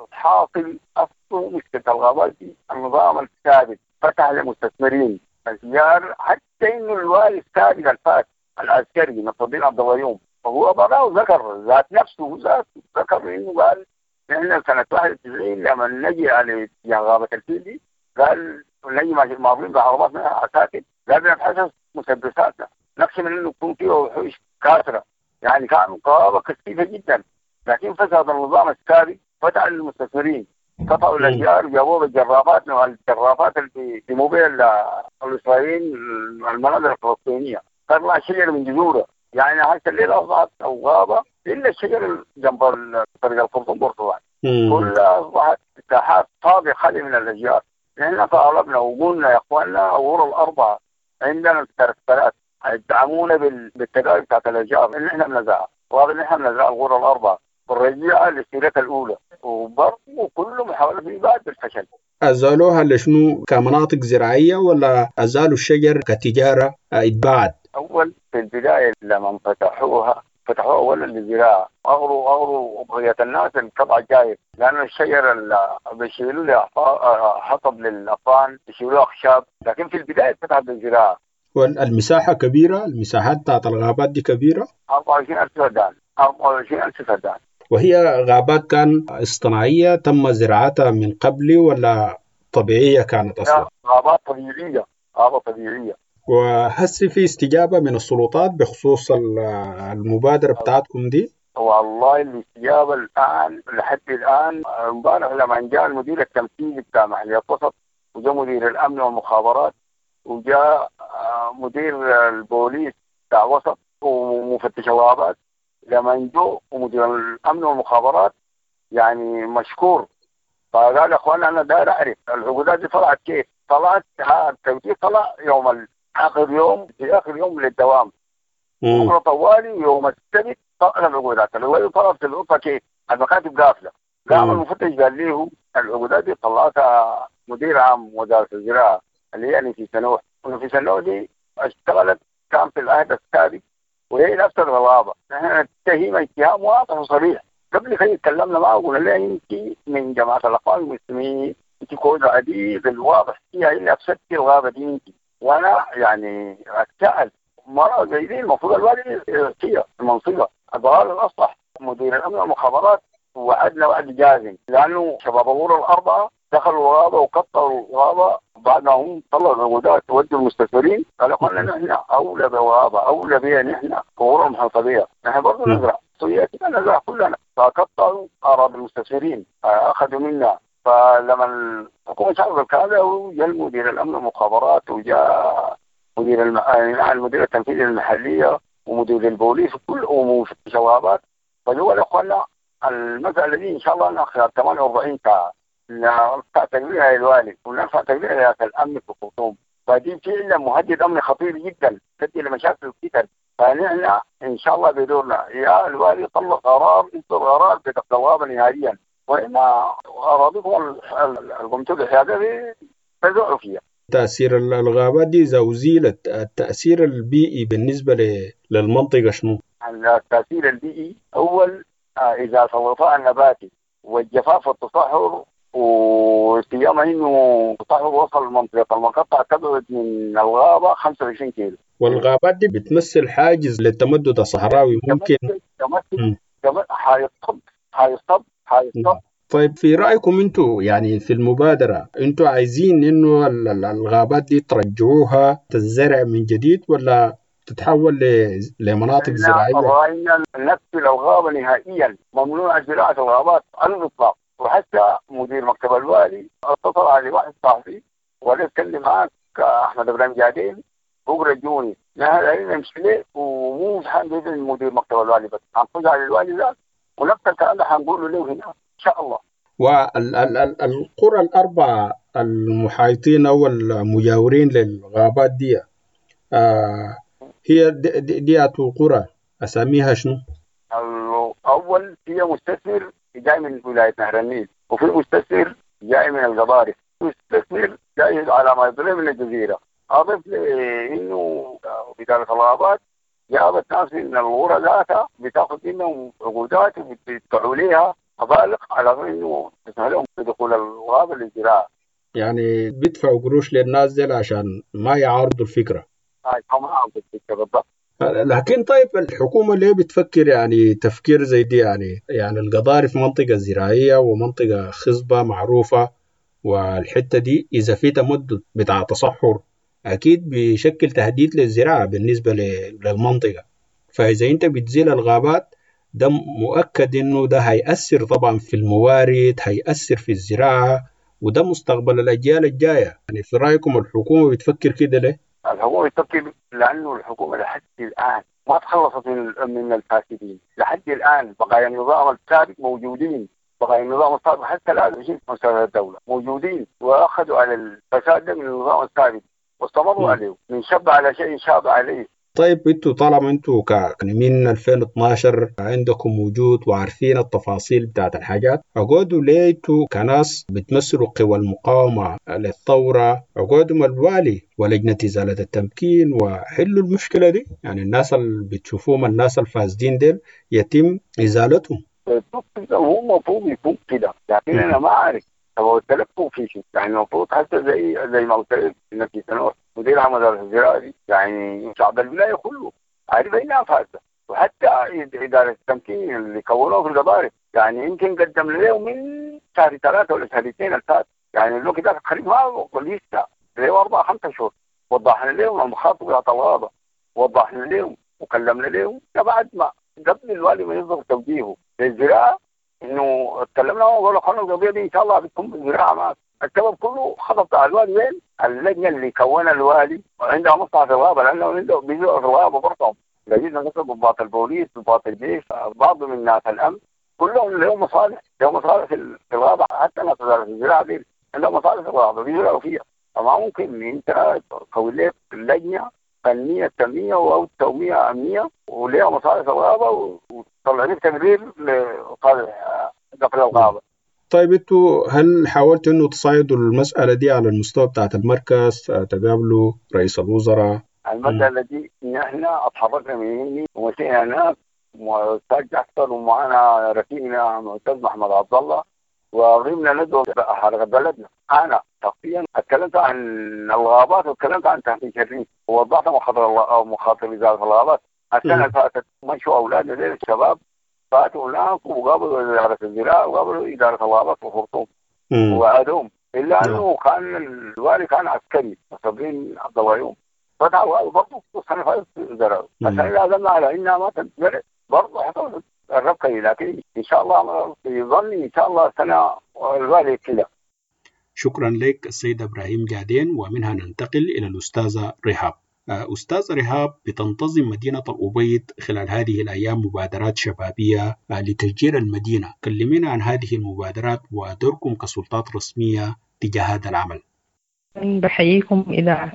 الحاصل اصله مشكلة الغابات دي النظام الثابت فتح للمستثمرين اشجار، حتى انه الوالي السابق الفات العسكري نصر الدين عبد الغيوم فهو براه ذكر ذات نفسه ذات ذكر انه قال نحن سنة واحد وتسعين لما نجي على غابه الفيل دي قال نجي ماضيين بعرباتنا عساكر قال بنبحث مسدساتنا نخشى من انه يكون فيه وحوش كاسره، يعني كان غابه كثيفة جدا. لكن فساد النظام السابق فتح للمستثمرين، قطعوا الاشجار وجابوها بالجرافات، نوع الجرافات اللي بيقوموا بها الاسرائيليين المناظر الفلسطينية، طلع شجر من جذوره. يعني حتى الليلة اصبحت او غابه الا الشجر جنب طريق الخرطوم برتقال كلها اصبحت ساحات فاضية خالية من الاشجار. نحن طالبنا وقلنا يا اخواننا الغرة الاربعة عندنا التركترات يدعمونا بالتجارب بتاعت الاشجار اللي احنا بنزرعها، وهذا اللي احنا بنزرعها الغرة الاربعة والرجعه للسيرتها الاولى، وبرضه كل محاولة في بعد بالفشل. ازالوها لشنو؟ كمناطق زراعية ولا ازالوا الشجر كتجاره اتباعت؟ اول في البداية لما فتحوها فتحوها اولا للزراعة، اغروا اغروا بقية الناس القطع الجايب، لانه الشجر اللي بيشيلوا له حطب للاطفال، بيشيلوه اخشاب، لكن في البداية فتحت للزراعة. والمساحة كبيرة، المساحات بتاعت الغابات دي كبيرة؟ أربعة وعشرين ألف فدان، أربعة وعشرين ألف فدان. وهي غابات كان اصطناعية تم زراعتها من قبل ولا طبيعية كانت أصلا؟ غابات طبيعية، غابة طبيعية. وهسي في استجابة من السلطات بخصوص المبادرة بتاعتكم دي؟ والله الاستجابة الآن لحد الآن، امبارح لما جاء المدير التنفيذي بتاع محلية وسط، وجاء مدير الأمن والمخابرات، وجاء مدير البوليس بتاع وسط ومفتش الغابات، لما جو ومدير الامن والمخابرات يعني مشكور، فقال يا اخوان انا داير اعرف العقودات دي طلعت كيف؟ طلعت التوجيه طلع يوم اخر يوم في اخر يوم للدوام بكره طوالي يوم السبت طلعت العقودات، العقودات طلعت في الغرفة كيف؟ المكاتب قافله. قام المفتش قال له العقودات دي طلعتها مدير عام وزارة الزراعة اللي هي في سنوح، وفي سنوح دي اشتغلت كان في العهد السابق وهي نفس الغابة. نحن نتهم اتهام واضح وصريح. قبل كده تكلمنا معه وقلنا لها انت من جماعة الاخوان المسلمين، انت كود عديد الواضح فيها اللي افسدتي الغابة دي انت. وانا يعني اتساءل مرة زي دي المفروض الوالي يعطيها المنصبه، الضلال الاصلح مدير الامن والمخابرات وعدنا وعد جازم، لانه شباب الغرة الاربعة دخلوا الغابة وقطعوا الغابة بعد ما هم طلعوا العقودات وودوا المستثمرين. قالوا قلنا نحن اولى بالغابه، اولى بها نحن غرة محيطه بها، نحن برضه نزرع كده نزرع كلنا. فقطعوا اراضي المستثمرين، اخذوا منا فلما الحكومة شافت الكلام ده جاء مدير الامن المخابرات وجاء مدير الم... المدير التنفيذي المحلية ومدير البوليس وكل ومفتش الغابات. فجوا الاخوان المسالة دي ان شاء الله خلال ثمانية وأربعين ساعة نرفع تقريرها للوالي ونرفع تقريرها لرئاسة الامن في الخرطوم. فدي فعلا مهدد امني خطير جدا تؤدي لمشاكل كتير. فنحن ان شاء الله بدورنا يا الوالي طلع قرار، يصدر قرار بتقفيل الغابة نهائيا، واما اراضيكم القمتوا بحيادة دي تزعوا فيها. تأثير الغابات دي إذا أزيلت، التأثير البيئي بالنسبة للمنطقة شنو؟ التأثير البيئي أول إذا الغطاء النباتي والجفاف والتصحر، وسيما إنه التصحر وصل منطقة المقطع تبعد من الغابة خمسة وعشرين كيلو. والغابات دي بتمثل حاجز للتمدد الصحراوي ممكن تمثل حيصب حيصب حيصب. طيب في رأيكم انتوا يعني في المبادرة انتوا عايزين انه الغابات دي ترجعوها تزرع من جديد ولا تتحول لمناطق زراعية؟ رأينا نقفل الغابة نهائيا، ممنوع زراعة الغابات على الإطلاق. وحتى مدير مكتب الوالي اتصل على واحد صاحبي وقال اتكلم معاك احمد ابراهيم جادين بكره جوني، نحن دايرين نمشي ليه ومو حنجيب مدير مكتب الوالي، بس حنخش على الوالي ذات ونفس الكلام ده حنقوله له هنا ان شاء الله. والقرى الأربعة المحايطين أو المجاورين للغابات دي آه هي دي, دي, دي قرى أساميها شنو؟ الأول هي مستثمر جاي من ولاية نهر النيل، وفي مستثمر جاي من القضارف، مستثمر جاي على ما يضرب من الجزيرة. أضف لأنه إدارة الغابات جابت ناس من الغرة ذاتها بتاخذ منهم عقودات وبتدفعوا ليها مبالغ على انه تسمح لهم بدخول الغابة للزراعة. يعني بيدفعوا قروش للناس دي عشان ما يعارضوا الفكرة. اي ما الفكرة بالضبط. لكن طيب الحكومة ليه بتفكر يعني تفكير زي دي؟ يعني يعني القضارف منطقة زراعية ومنطقة خصبة معروفة، والحتة دي اذا في تمدد بتاع تصحر اكيد بيشكل تهديد للزراعة بالنسبة للمنطقة. فاذا انت بتزيل الغابات ده مؤكد انه ده هيأثر طبعا في الموارد، هيأثر في الزراعة، وده مستقبل الأجيال الجاية. يعني في رأيكم الحكومة بتفكر كده ليه؟ الحكومة بتفكر لأنه الحكومة لحد الآن ما تخلصت من من الفاسدين، لحد الآن بقايا النظام السابق موجودين، بقايا النظام السابق حتى الآن في مؤسسات الدولة موجودين، وأخذوا على الفساد ده من النظام السابق واستمروا عليه، من شب على شيء شاب عليه. طيب انتوا طالما انتوا ك من ألفين واثناشر عندكم وجود وعارفين التفاصيل بتاعت الحاجات، اقعدوا ليه انتوا كناس بتمثلوا قوى المقاومة للثورة، اقعدوا مع الوالي ولجنة إزالة التمكين وحلوا المشكلة دي؟ يعني الناس اللي بتشوفوهم الناس الفاسدين ديل يتم إزالتهم. هو المفروض يكون كده، لكن انا ما اعرف هو التلفوا في شيء. يعني المفروض حتى زي زي ما قلت لك في سنوات مدير عام وزارة الزراعة دي يعني شعب الولاية كله عارف انها فاسدة، وحتى ادارة التمكين اللي كونوه في القضارف يعني يمكن قدم لهم من شهر ثلاثة ولا شهر اثنين الفات، يعني الوقت ده الخريف ما لسه له اربع خمسة شهور. وضحنا لهم المخاطر بتاعت الغابة، وضحنا لهم وكلمنا لهم بعد ما قبل الوالي ما يصدر توجيهه للزراعة انه اتكلمنا وقالوا خلوا القضية دي ان شاء الله بتكون بالزراعة معك. السبب كله خطط بتاع الوالي وين؟ اللجنة اللي كونها الوالي عندها مصلحة في الغابة، لانه عندهم بيزرعوا في الغابة برضه. لقينا مثلا ضباط البوليس، ضباط الجيش، بعض من ناس الامن كلهم لهم مصالح، لهم مصالح في الغابة، حتى ناس وزارة الزراعة دي عندهم مصالح في الغابة بيزرعوا فيها. فما ممكن انت تكون لك لجنة فنية تنمية او توميه امنية وليها مصالح في الغابة وتطلع لك تقرير لصالح قفل الغابة. طيب انتوا هل حاولتوا انه تصعدوا المسألة دي على المستوى بتاعت المركز، تقابلوا رئيس الوزراء؟ المسألة دي نحن اتحركنا من هنا ومشينا هناك واستاذ جعفر ومعنا رفيقنا معتز محمد عبد الله وغيبنا ندعو حركة بلدنا. انا شخصيا اتكلمت عن الغابات واتكلمت عن تهميش الريف ووضحت مخاطر مخاطر وزارة الغابات. السنة اللي فاتت مشوا اولادنا زي الشباب فاتوا هناك وقابلوا ادارة الزراعة وقابلوا ادارة الغابات في الخرطوم وعادوهم، الا انه كان الوالي كان عسكري صابرين عبد الغيوم فتح الغابة برضه السنة اللي فاتت زرعوا. السنة اللي عزمنا على انها ما تتزرع برضه حصلت الربكه، لكن ان شاء الله في ظني ان شاء الله السنة الوالي كده شكرا لك السيد إبراهيم جادين، ومنها ننتقل إلى الأستاذة رهاب. أستاذ رهاب، بتنتظم مدينة الأبيض خلال هذه الأيام مبادرات شبابية لتشجير المدينة، كلمينا عن هذه المبادرات ودوركم كسلطات رسمية تجاه هذا العمل. بحييكم إذاعة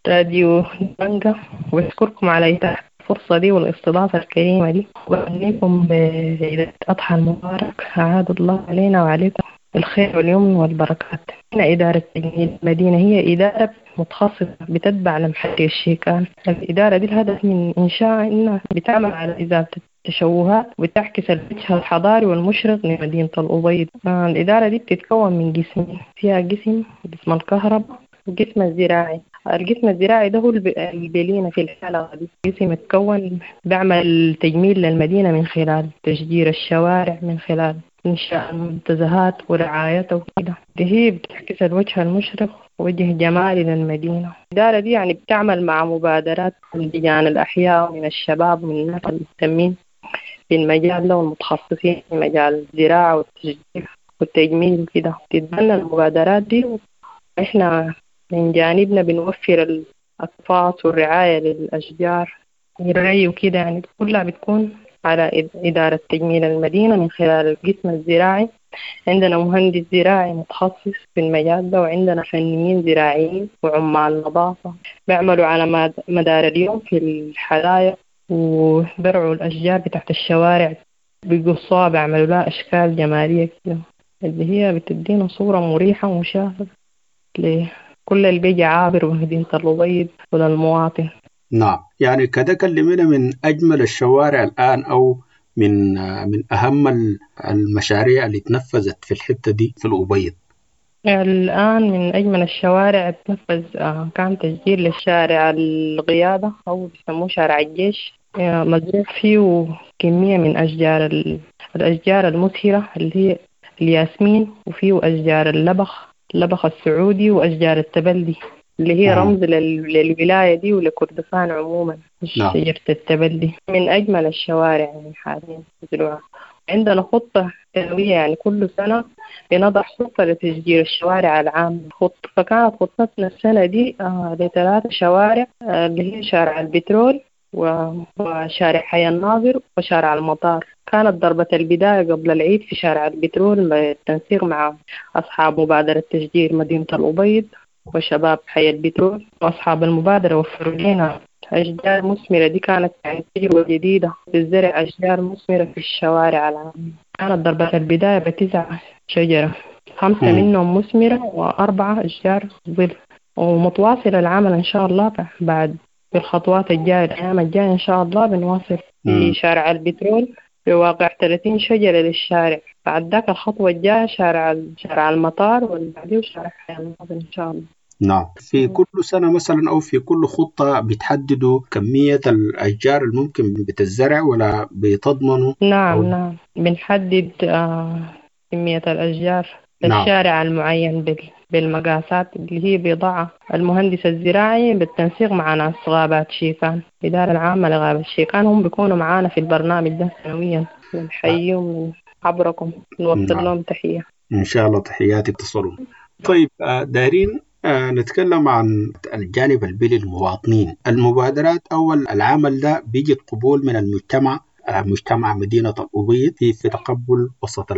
راديو دبنقا وأشكركم على إتاحة الفرصة دي والاستضافة الكريمة دي، وأهنيكم بعيد الأضحى المبارك، أعاد الله علينا وعليكم الخير واليمن والبركات. هنا إدارة تجميل المدينة هي إدارة متخصصة بتتبع لمحلية الشيكان. الإدارة دي الهدف من إنشائها إنها بتعمل على إزالة التشوهات وتعكس الوجه الحضاري والمشرق لمدينة الأبيض. الإدارة دي بتتكون من قسمين، فيها قسم قسم الكهرباء وقسم الزراعي. القسم الزراعي ده هو اللي بيلينا في الحلقة دي. قسم اتكون بعمل تجميل للمدينة من خلال تشجير الشوارع، من خلال إنشاء المنتزهات ورعايتها وكده. دي هي بتعكس الوجه المشرق وجه جمالي للمدينة. الإدارة دي يعني بتعمل مع مبادرات من لجان الأحياء ومن الشباب ومن الناس المهتمين في المجال ده والمتخصصين في مجال الزراعة والتشجير والتجميل وكده. تتبنى المبادرات دي، وإحنا من جانبنا بنوفر الأقفاص والرعاية للأشجار والري وكده، يعني كلها بتكون على إدارة تجميل المدينة من خلال القسم الزراعي. عندنا مهندس زراعي متخصص في المجال ده، وعندنا فنيين زراعيين وعمال نظافة بيعملوا على مدار اليوم في الحدائق وبرعوا الأشجار بتاعت الشوارع، بيقصوها بيعملوا لها أشكال جمالية كده اللي هي بتدينا صورة مريحة ومشاهدة لكل اللي بيجي عابر ومدينة الأبيض وللمواطن. نعم، يعني كده كلمينا من أجمل الشوارع الآن أو من من أهم المشاريع اللي تنفذت في الحتة دي في الأبيض. الآن من أجمل الشوارع تنفذ كان تسجيل للشارع القيادة أو بيسموه شارع الجيش، مزروع فيه كمية من أشجار الأشجار المثيرة اللي هي الياسمين، وفيه أشجار اللبخ اللبخ السعودي وأشجار التبلي اللي هي رمز للولاية دي ولكردفان عموما. شجرة التبلي من أجمل الشوارع يعني حاليا مزروعة. عندنا خطة سنوية، يعني كل سنة بنضع خطة لتشجير الشوارع العامة. خطة فكانت خطتنا السنة دي آه لثلاث شوارع آه اللي هي شارع البترول وشارع حي الناظر وشارع المطار. كانت ضربة البداية قبل العيد في شارع البترول بالتنسيق مع أصحاب مبادرة تشجير مدينة الأبيض وشباب حي البترول، وأصحاب المبادرة وفروا لنا أشجار مثمرة. دي كانت يعني تجربة جديدة بالزرع أشجار مثمرة في الشوارع العامة. كانت ضربة البداية بتسع شجرة، خمسة منهم مثمرة وأربعة أشجار ظل، ومتواصل العمل إن شاء الله بعد في الخطوات الجاية الأيام الجاية إن شاء الله بنواصل في شارع البترول بواقع ثلاثين شجرة للشارع. بعد ذاك الخطوة الجاية شارع شارع المطار والبعديه شارع حي الناظر إن شاء الله. نعم، في كل سنة مثلا أو في كل خطة بتحددوا كمية الأشجار الممكن بتزرع ولا بتضمنوا؟ نعم أو... نعم بنحدد آه كمية الأشجار للشارع نعم. المعين بال... بالمقاسات اللي هي بيضعها المهندس الزراعي بالتنسيق مع ناس غابات شيكان، الإدارة العامة لغابة شيكان، هم بيكونوا معانا في البرنامج ده سنويا. بنحييهم من عبركم، نوصل نعم. لهم تحية إن شاء الله، تحياتي تصلهم. طيب دارين، نتكلم عن الجانب البيئي للمواطنين. المبادرات أو العمل ده بيجد قبول من المجتمع، مجتمع مدينة الأبيض في في تقبل وسط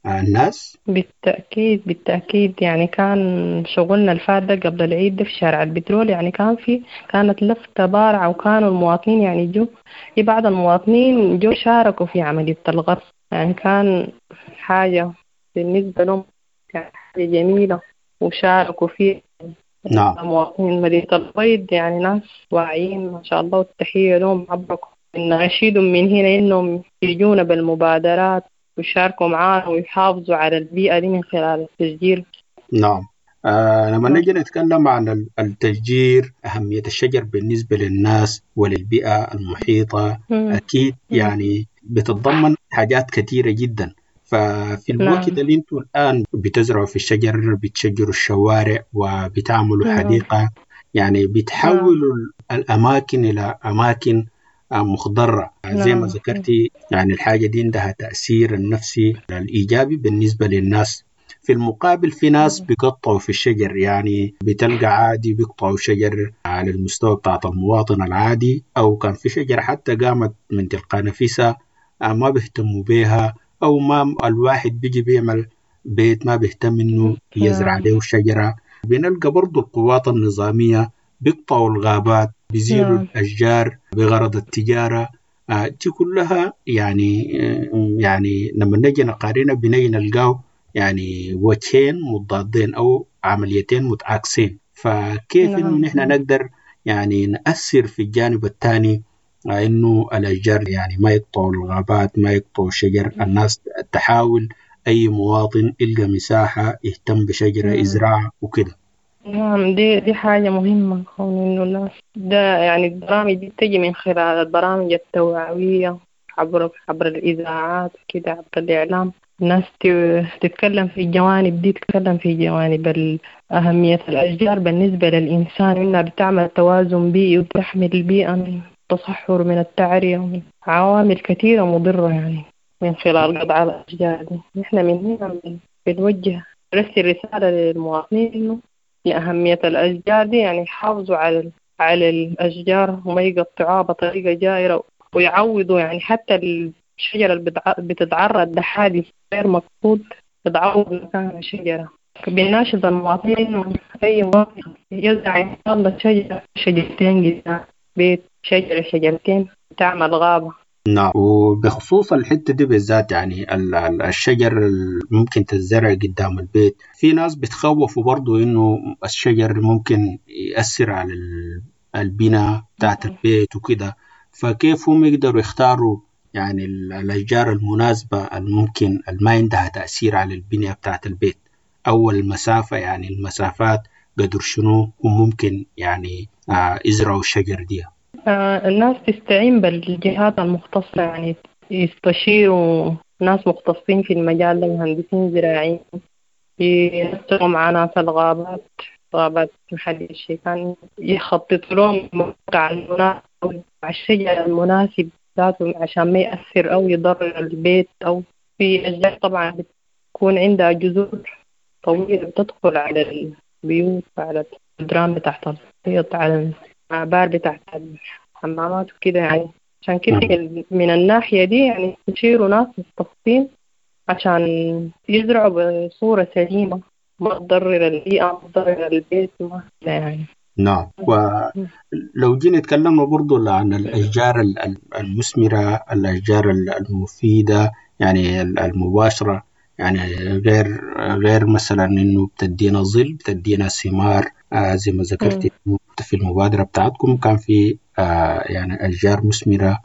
الناس؟ بالتأكيد بالتأكيد، يعني كان شغلنا الفات ده قبل العيد ده في شارع البترول، يعني كان في كانت لفتة بارعة، وكانوا المواطنين يعني جو في بعض المواطنين جو شاركوا في عملية الغرس، يعني كان حاجة بالنسبة لهم يعني حاجة جميلة وشاركوا فيه. نعم. مواطنين مدينة الأبيض يعني ناس واعيين ما شاء الله، والتحية لهم عبركم. نشيدهم من هنا إنهم يجونا بالمبادرات ويشاركوا معانا ويحافظوا على البيئة دي من خلال التشجير. نعم. آه لما نجي نتكلم عن التشجير، أهمية الشجر بالنسبة للناس وللبيئة المحيطة، مم. أكيد يعني بتتضمن حاجات كثيرة جدا. ففي الوقت نعم. اللي انتوا الآن بتزرعوا في الشجر، بتشجروا الشوارع وبتعملوا نعم. حديقة، يعني بتحولوا نعم. الأماكن إلى أماكن مخضرة زي ما ذكرتي، يعني الحاجة دي عندها تأثير النفسي الإيجابي بالنسبة للناس. في المقابل في ناس بيقطعوا في الشجر، يعني بتلقى عادي بيقطعوا شجر على المستوى بتاعت المواطن العادي، أو كان في شجرة حتى قامت من تلقاء نفسها آه، ما بيهتموا بيها، أو ما الواحد بيجي بيعمل بيت ما بيهتم إنه يزرع نعم. له شجرة. بنلقى برضو القوات النظامية بيقطعوا الغابات، بيزيلوا نعم. الأشجار بغرض التجارة. آه، دي كلها يعني آه، يعني لما نجي نقارنها بنجي نلقاه يعني وجهين متضادين أو عمليتين متعاكسين. فكيف إنه نعم. نحن نقدر يعني نأثر في الجانب الثاني إنه الأشجار يعني ما يقطعوا الغابات، ما يقطعوا الشجر، الناس تحاول أي مواطن يلقى مساحة يهتم بشجرة نعم. يزرعها وكده. نعم، دي دي حاجة مهمة، كون إنه الناس ده يعني البرامج دي بتجي من خلال البرامج التوعوية عبر عبر الإذاعات كده، عبر الإعلام. الناس ت- تتكلم في الجوانب دي، تتكلم في جوانب ال- أهمية الأشجار بالنسبة للإنسان، إنها بتعمل توازن بيئي وبتحمي البيئة من التصحر ومن التعرية ومن عوامل كثيرة مضرة يعني من خلال قطع الأشجار دي. نحن من هنا بن- بنوجه نرسل رسالة للمواطنين إنه لأهمية الأشجار دي، يعني يحافظوا على على الأشجار وما يقطعوها بطريقة جائرة، ويعوضوا يعني حتى الشجرة اللي بتع- بتتعرض لحادث غير مقصود تتعوض مكانها شجرة. بنناشد المواطنين إنه أي مواطن يزرع إن شاء الله شجرة شجرتين قدام بيت، شجرة شجرتين تعمل غابة. نعم، وبخصوص الحتة دي بالذات يعني ال- ال- الشجر اللي ممكن تتزرع قدام البيت، في ناس بتخوفوا برضو إنه الشجر ممكن يأثر على ال- البناء بتاعت البيت وكده، فكيف هم يقدروا يختاروا يعني ال- الأشجار المناسبة الممكن اللي ما عندها تأثير على البنية بتاعت البيت، أو المسافة، يعني المسافات قدر شنو هم ممكن يعني آه، يزرعوا الشجر دي؟ آه، الناس تستعين بالجهات المختصة، يعني يستشيروا ناس مختصين في المجال ده، مهندسين زراعيين، ينسقوا مع ناس الغابات، غابات محل الشيكان، يخططوا لهم الموقع المناسب مع الشجر المناسب ذاته عشان ما يأثر أو يضرر البيت. أو في أشجار طبعا بتكون عندها جذور طويلة بتدخل على البيوت، على الجدران بتاعت الحيط، على الآبار بتاعت الحمامات وكده يعني. عشان كده من الناحية دي يعني يستشيروا ناس مختصين عشان يزرعوا بصورة سليمة، ما تضرر البيئة، ما تضرر البيت، ما كده يعني. نعم، ولو جينا تكلمنا برضو عن الأشجار ال- ال- المثمرة، الأشجار ال- المفيدة يعني ال- المباشرة، يعني غير غير مثلا إنه بتدينا ظل، بتدينا ثمار، آه زي ما ذكرت مم. في المبادرة بتاعتكم كان في آه يعني أشجار مثمرة،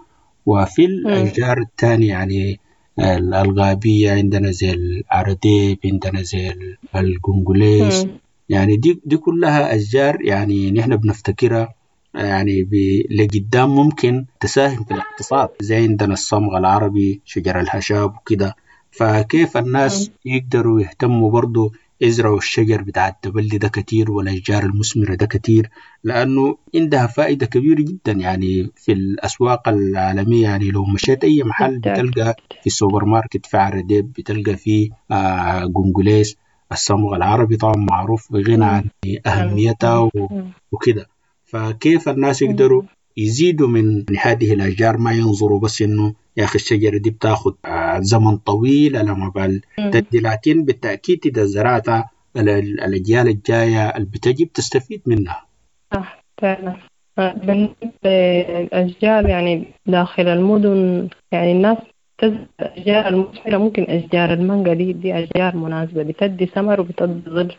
وفي مم. الأشجار الثانية يعني ال- الغابية عندنا زي العرديب، عندنا زي ال- القنقليس، مم. يعني دي دي كلها أشجار يعني نحن بنفتكرها يعني ب- لقدام ممكن تساهم في الاقتصاد، زي عندنا الصمغ العربي، شجر الهشاب وكده. فكيف الناس يقدروا يهتموا برضو يزرعوا الشجر بتاع التبلي ده كتير والأشجار المثمرة ده كتير، لأنه عندها فائدة كبيرة جدا يعني في الأسواق العالمية. يعني لو مشيت أي محل بالتأكيد. بتلقى في السوبر ماركت في عرديب، بتلقى في آه قنقليس. الصمغ العربي طبعا معروف بغنى عن أهميتها و- مم. وكده. فكيف الناس يقدروا يزيدوا من هذه الأشجار، ما ينظروا بس إنه يا أخي الشجرة دي بتاخد آه، زمن طويل على ما بال مم. تدي، لكن بالتأكيد إذا زرعتها ال- ال- الأجيال الجاية اللي بتجي بتستفيد منها. صح فعلا. آه، بالنسبة للأشجار يعني داخل المدن، يعني الناس تزرع الأشجار المثمرة، ممكن أشجار المانجا دي دي أشجار مناسبة، بتدي ثمر وبتدي ظل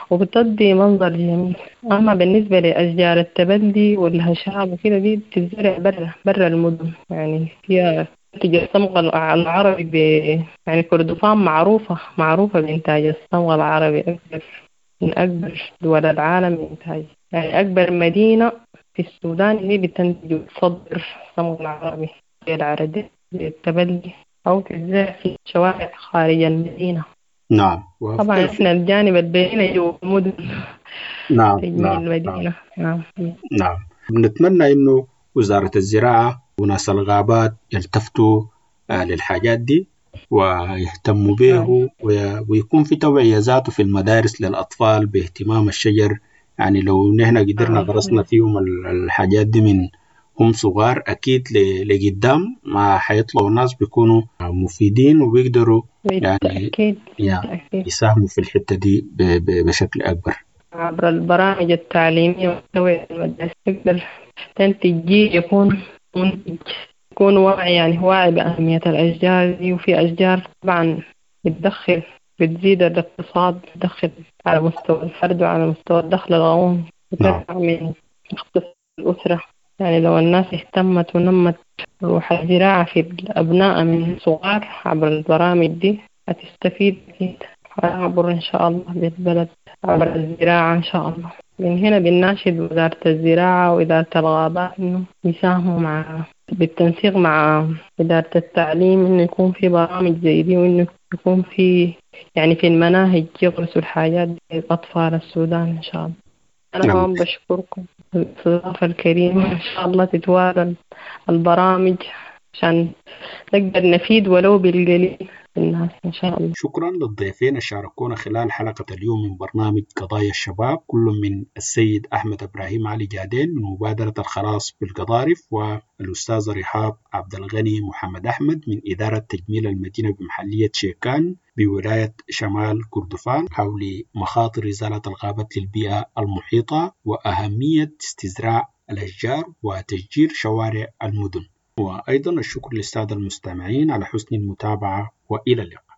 وبتدي منظر جميل. أما بالنسبة لأشجار التبلي والهشاب وكده دي بتتزرع برا برا المدن، يعني فيها تنتج الصمغ الع- العربي ب يعني كردفان معروفة معروفة بإنتاج الصمغ العربي، أكبر من أكبر دول العالم إنتاج، يعني أكبر مدينة في السودان هي بتنتج وتصدر الصمغ العربي زي العرديب زي التبلي، أو تتزرع في شوارع خارج المدينة. نعم طبعا إحنا الجانب البيئي جوا المدن، نعم تجميل نعم نعم المدينة. نعم. نعم، بنتمنى إنه وزارة الزراعة وناس الغابات يلتفتوا آه، للحاجات دي. ويهتموا به، ويكون في توعية ذاته في المدارس للأطفال باهتمام الشجر. يعني لو نحن قدرنا غرسنا فيهم الحاجات دي من هم صغار، أكيد لقدام ما حيطلعوا ناس بيكونوا مفيدين وبيقدروا يعني بالتأكيد يساهموا في الحتة دي بشكل أكبر. عبر البرامج التعليمية والتوعية المدرسية تقدر تنتج جيل يكون منتج، يكون واعي، يعني واعي بأهمية الأشجار دي. وفي أشجار طبعا بتدخل، بتزيد الاقتصاد، بتدخل على مستوى الفرد وعلى مستوى الدخل القومي، بترفع من اقتصاد الأسرة. يعني لو الناس اهتمت ونمت روح الزراعة في الأبناء من صغار عبر البرامج دي هتستفيد أكيد، عبر إن شاء الله بالبلد عبر الزراعة إن شاء الله. من هنا بنناشد وزارة الزراعة وإدارة الغابات إنه يساهموا مع بالتنسيق مع إدارة التعليم، إنه يكون في برامج زي دي، وإنه يكون في يعني في المناهج يغرسوا الحاجات دي لأطفال السودان إن شاء الله. أنا كمان بشكركم الاستضافة الكريمة، إن شاء الله تتوالى البرامج عشان نقدر نفيد ولو بالقليل الناس إن شاء الله. شكرا للضيفين شاركونا خلال حلقة اليوم من برنامج قضايا الشباب، كل من السيد أحمد إبراهيم علي جادين من مبادرة الخلاص بالقضارف، والأستاذ رحاب عبد الغني محمد أحمد من إدارة تجميل المدينة بمحلية شيكان بولاية شمال كردفان، حول مخاطر إزالة الغابات للبيئة المحيطة وأهمية استزراع الأشجار وتشجير شوارع المدن. وأيضا الشكر للسادة المستمعين على حسن المتابعة، وإلى اللقاء.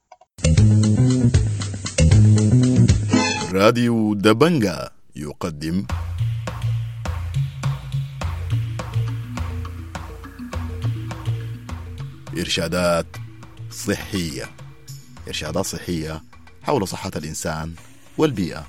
راديو دبنجا يقدم إرشادات صحية، إرشادات صحية حول صحة الإنسان والبيئة.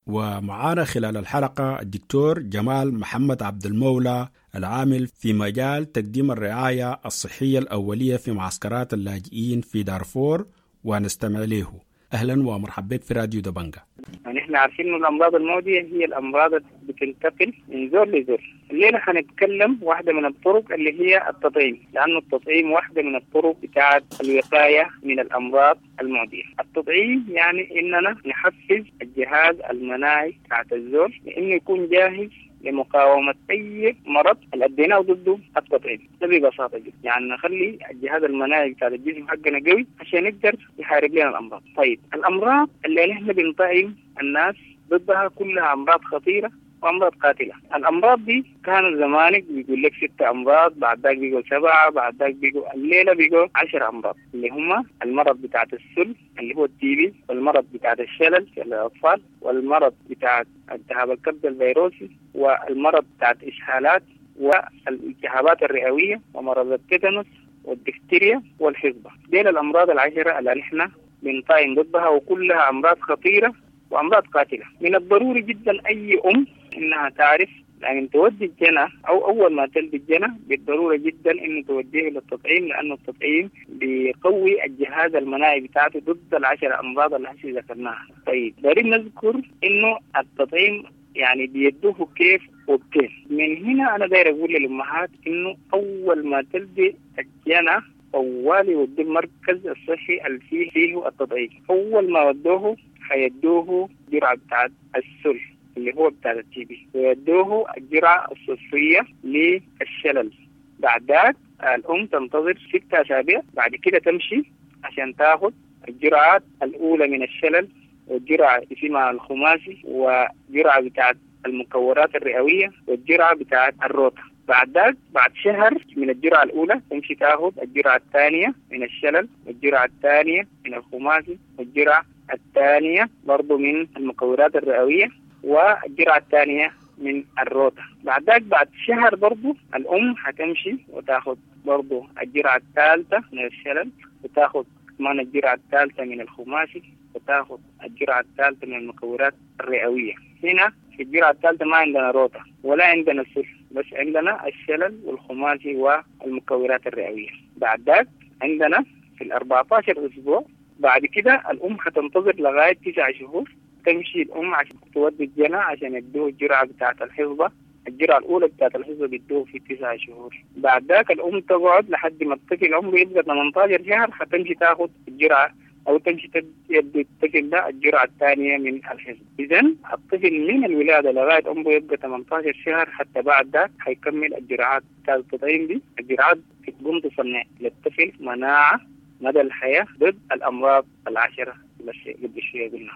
ومعانا خلال الحلقة الدكتور جمال محمد عبد المولى، العامل في مجال تقديم الرعاية الصحية الأولية في معسكرات اللاجئين في دارفور، ونستمع له. أهلا ومرحبا بك في راديو دبنجا. يعني احنا عارفين إنه الأمراض المعدية هي الأمراض اللي بتنتقل من زول لزول. الليلة حنتكلم واحدة من الطرق اللي هي التطعيم، لأنه التطعيم واحدة من الطرق بتاعة الوقاية من الأمراض المعدية. التطعيم يعني إننا نحفز الجهاز المناعي بتاعة الزول لإنه يكون جاهز لمقاومة أي مرض اللي أديناه ضده التطعيم. ده ببساطة جدا، يعني نخلي الجهاز المناعي بتاع الجسم حقنا قوي عشان يقدر يحارب لنا الأمراض. طيب الأمراض اللي نحن بنطعم الناس ضدها كلها أمراض خطيرة وأمراض قاتلة. الأمراض دي كانوا زمانك بيقول لك ستة أمراض، بعد ذاك بيقول سبعة، بعد ذاك بيقول الليلة بيقول عشر أمراض، اللي هم المرض بتاعة السل اللي هو التي بي، والمرض بتاعة الشلل للأطفال، والمرض بتاع التهاب الكبد الفيروسي، والمرض بتاعة إسهالات والالتهابات الرئوية، ومرض التيتانوس والدفتيريا والحصبة. دي الأمراض العشرة اللي نحن بنطعم ضدها، وكلها أمراض خطيرة وأمراض قاتلة. من الضروري جدا أي أم إنها تعرف، يعني تودي الجنى أو أول ما تلد الجنى بالضرورة جدا إنه توديه للتطعيم، لأنه التطعيم بيقوي الجهاز المناعي بتاعته ضد العشر أمراض اللي هسه ذكرناها. طيب دارين نذكر إنه التطعيم يعني بيدوه كيف وبكيف. من هنا أنا داير أقول للأمهات إنه أول ما تلدي الجنى طوالي وديه المركز الصحي اللي فيه فيه التطعيم. أول ما ودوه حيدوه جرعة بتاعت السل اللي هو بتاع التي بي، ويدوه الجرعة الصفرية للشلل. بعد ذاك الأم تنتظر ستة أسابيع، بعد كده تمشي عشان تاخد الجرعات الأولى من الشلل، والجرعة اسمها الخماسي، وجرعة بتاعت المكورات الرئوية، والجرعة بتاعت الروتا. بعد ذاك بعد شهر من الجرعة الأولى تمشي تاخد الجرعة الثانية من الشلل، والجرعة الثانية من الخماسي، والجرعة الثانية برضو من المكورات الرئوية، والجرعة الثانية من الروتا. بعد ذاك بعد شهر برضو الأم حتمشي وتاخد برضو الجرعة الثالثة من الشلل، وتاخد كمان الجرعة الثالثة من الخماسي، وتاخد الجرعة الثالثة من المكورات الرئوية. هنا في الجرعة الثالثة ما عندنا روتا ولا عندنا سل، بس عندنا الشلل والخماسي والمكورات الرئوية. بعد ذاك عندنا في الأربعة عشر أسبوع بعد كده الأم حتنتظر لغاية تسع شهور، تمشي الأم عشان تودي الجنى عشان يدوه الجرعة بتاعة الحصبة الجرعة الأولى بتاعت الحصبة بيدوه في تسعة شهور. بعد ذاك الأم تقعد لحد ما الطفل عمره يبقى ثمانية عشر شهر حتمشي تاخد الجرعة أو تمشي تدي الطفل ده الجرعة الثانية من الحصبة. إذن الطفل من الولادة لغاية عمره يبقى ثمانية عشر شهر حتى بعد ذاك حيكمل الجرعات بتاعت التطعيم دي. الجرعات بتقوم تصنع للطفل مناعة مدى الحياة ضد الأمراض العشرة اللي قبل شوية قلنا.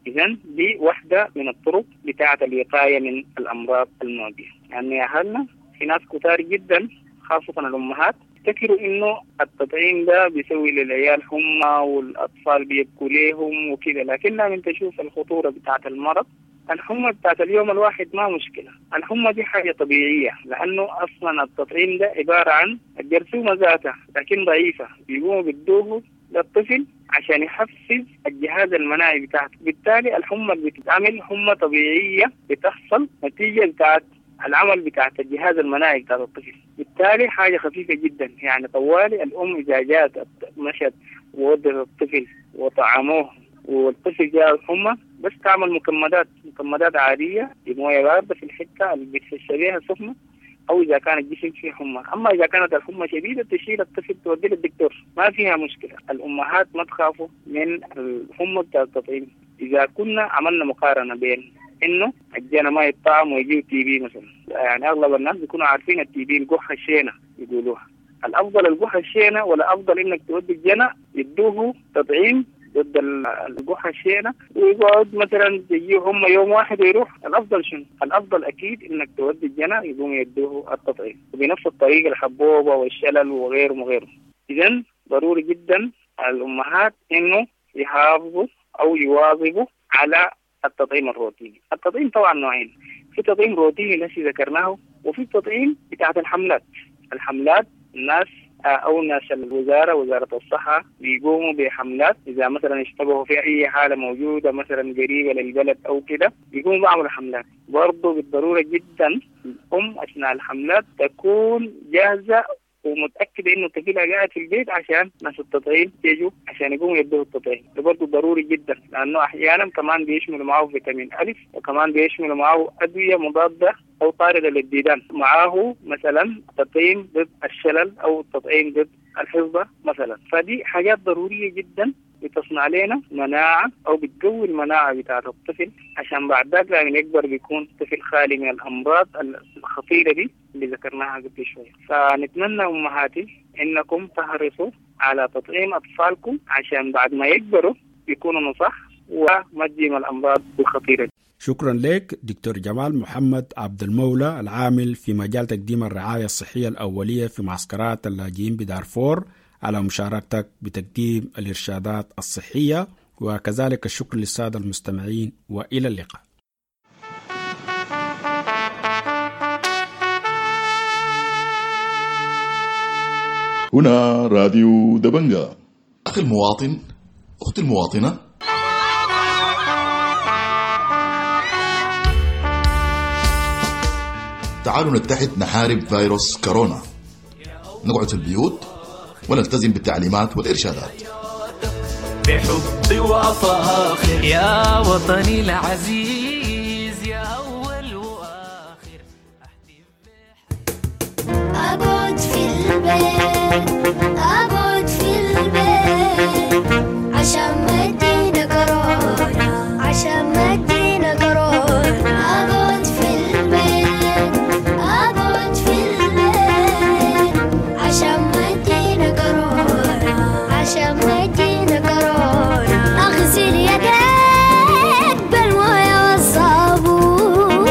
إذن دي واحدة من الطرق بتاعة الوقاية من الأمراض المعدية. يعني يا أهلنا في ناس كتار جدا خاصة الأمهات افتكروا إنه التطعيم ده بيسوي للعيال حمى والأطفال بيبكوا ليهم وكده، لكن لما تشوف الخطورة بتاعة المرض، الحمى بتاعت اليوم الواحد ما مشكلة، الحمى دي حاجة طبيعية لأنه أصلا التطعيم ده عبارة عن الجرثومة ذاتها لكن ضعيفة، بيقوموا بيدوه للطفل عشان يحفز الجهاز المناعي بتاعته، بالتالي الحمى اللي بتتعمل حمى طبيعية بتحصل نتيجة بتاعت العمل بتاعت الجهاز المناعي بتاع الطفل، بالتالي حاجة خفيفة جدا. يعني طوالي الأم إذا جات مشت وودت الطفل وطعموه والطفل جاء الحمى بس تعمل مكمدات، مكمدات عادية بموية باردة في الحتة اللي بتحس بيها سخنة، أو إذا كان الجسم فيه حمى. أما إذا كانت الحمى شديدة تشيل الطفل توديه للدكتور، ما فيها مشكلة. الأمهات ما تخافوا من الحمى بتاع التطعيم. إذا كنا عملنا مقارنة بين إنه الجنى ما يطعم ويجيب TB مثلا، يعني أغلب الناس بيكونوا عارفين ال TB القحة الشينة يقولوها، الأفضل القحة الشينة ولا أفضل إنك تودي الجنى يدوه تطعيم ضد القحة الشينة ويقعد مثلا يجيه هم يوم واحد ويروح؟ الأفضل شنو؟ الأفضل أكيد إنك تودي الجنى يقوم يدوه التطعيم، وبنفس الطريقة الحبوبة والشلل وغيره وغيره. إذن ضروري جدا الأمهات إنه يحافظوا أو يواظبوا على التطعيم الروتيني. التطعيم طبعا نوعين، في تطعيم روتيني الذي ذكرناه، وفي تطعيم بتاعت الحملات. الحملات الناس أو ناس الوزارة وزارة الصحة بيقوموا بحملات إذا مثلا اشتبهوا في أي حالة موجودة مثلا قريبة للبلد أو كده بيقوموا بعملوا حملات. برضو بالضرورة جدا الأم أثناء الحملات تكون جاهزة ومتأكدة إنه طفلها قاعد في البيت عشان ناس التطعيم يجوا عشان يقوموا يدوه التطعيم. ده برضه ضروري جدا لأنه أحيانا كمان بيشملوا معه فيتامين ألف، وكمان بيشملوا معه أدوية مضادة أو طاردة للديدان، معاه مثلا تطعيم ضد الشلل أو تطعيم ضد الحصبة مثلا. فدي حاجات ضرورية جدا بتصنع لنا مناعة أو بتقوي المناعة بتاعة الطفل عشان بعد ذاك لما يكبر بيكون طفل خالي من الأمراض الخطيرة دي اللي ذكرناها قبل شوية. فنتمنى أمهاتي إنكم تحرصوا على تطعيم أطفالكم عشان بعد ما يكبروا يكونوا نصح وما تجيهم الأمراض الخطيرة دي. شكرا لك دكتور جمال محمد عبد المولى العامل في مجال تقديم الرعاية الصحية الأولية في معسكرات اللاجئين بدارفور على مشاركتك بتقديم الإرشادات الصحية، وكذلك الشكر للسادة المستمعين، وإلى اللقاء. هنا راديو دبنجا. أخي المواطن، أختي المواطنة، تعالوا نتحد نحارب فيروس كورونا، نقعد في البيوت ونلتزم بالتعليمات والإرشادات. بحب وفاخر يا وطني العزيز يا أول وآخر. أقعد في البيت، أقعد في البيت عشان ما تجينا كورونا، عشان ما تجينا كورونا. أقعد في البيت، أقعد في البيت عشان ما تجينا كورونا، عشان ما تجينا كورونا. أغسل يديك بالموية والصابون،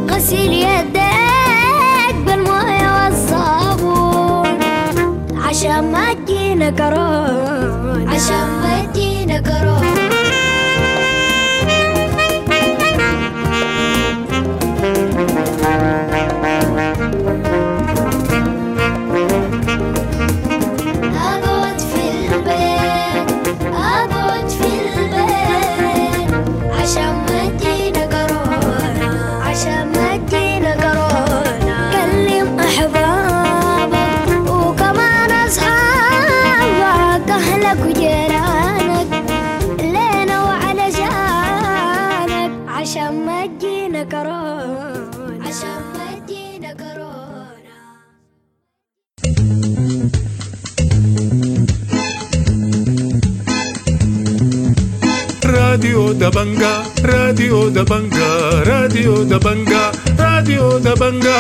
غسل يديك بالموية والصابون عشان ما تجينا كورونا، عشان ما تجينا كورونا. راديو دبنجا، راديو دبنجا، راديو دبنجا، راديو دبنجا.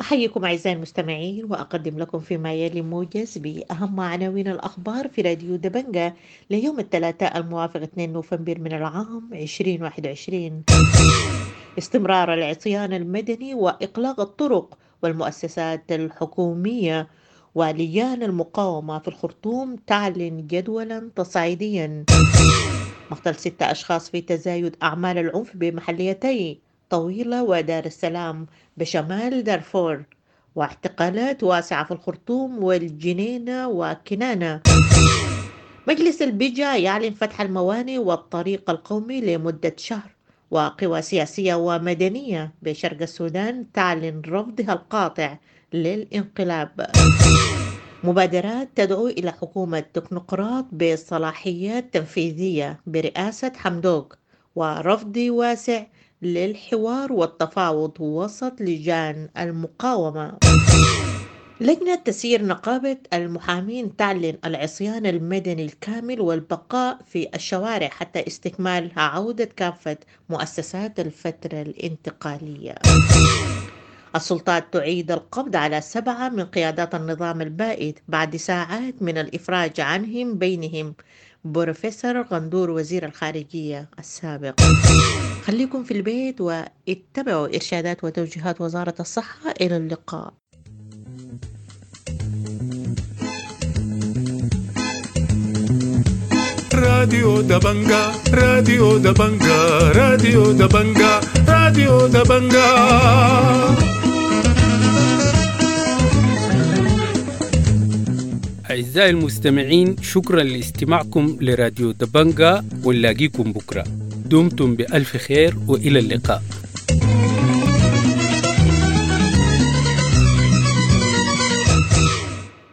أحييكم أعزائي المستمعين، وأقدم لكم فيما يلي موجز بأهم عناوين الأخبار في راديو دبنجة ليوم الثلاثاء الموافق اثنين نوفمبر من العام ألفين وواحد وعشرين. استمرار العصيان المدني وإغلاق الطرق والمؤسسات الحكومية، ولجان المقاومة في الخرطوم تعلن جدولا تصعيديا. مقتل ستة أشخاص في تزايد أعمال العنف بمحليتي طويلة ودار السلام بشمال دارفور، واعتقالات واسعة في الخرطوم والجنينة وكنانة. مجلس البجا يعلن فتح الموانئ والطريق القومي لمدة شهر، وقوى سياسية ومدنية بشرق السودان تعلن رفضها القاطع للانقلاب. مبادرات تدعو إلى حكومة تكنوقراط بصلاحيات تنفيذية برئاسة حمدوك، ورفض واسع للحوار والتفاوض وسط لجان المقاومة. لجنة تسيير نقابة المحامين تعلن العصيان المدني الكامل والبقاء في الشوارع حتى استكمال عودة كافة مؤسسات الفترة الانتقالية. السلطات تعيد القبض على سبعة من قيادات النظام البائد بعد ساعات من الإفراج عنهم، بينهم بروفيسور غندور وزير الخارجية السابق. خليكم في البيت واتبعوا إرشادات وتوجيهات وزارة الصحة. إلى اللقاء. راديو دبنجا، راديو دبنجا، راديو دبنجا، راديو دبنجا. أعزائي المستمعين، شكرا لاستماعكم لراديو دبنجا، ونلاقيكم بكرة. دمتم بألف خير وإلى اللقاء.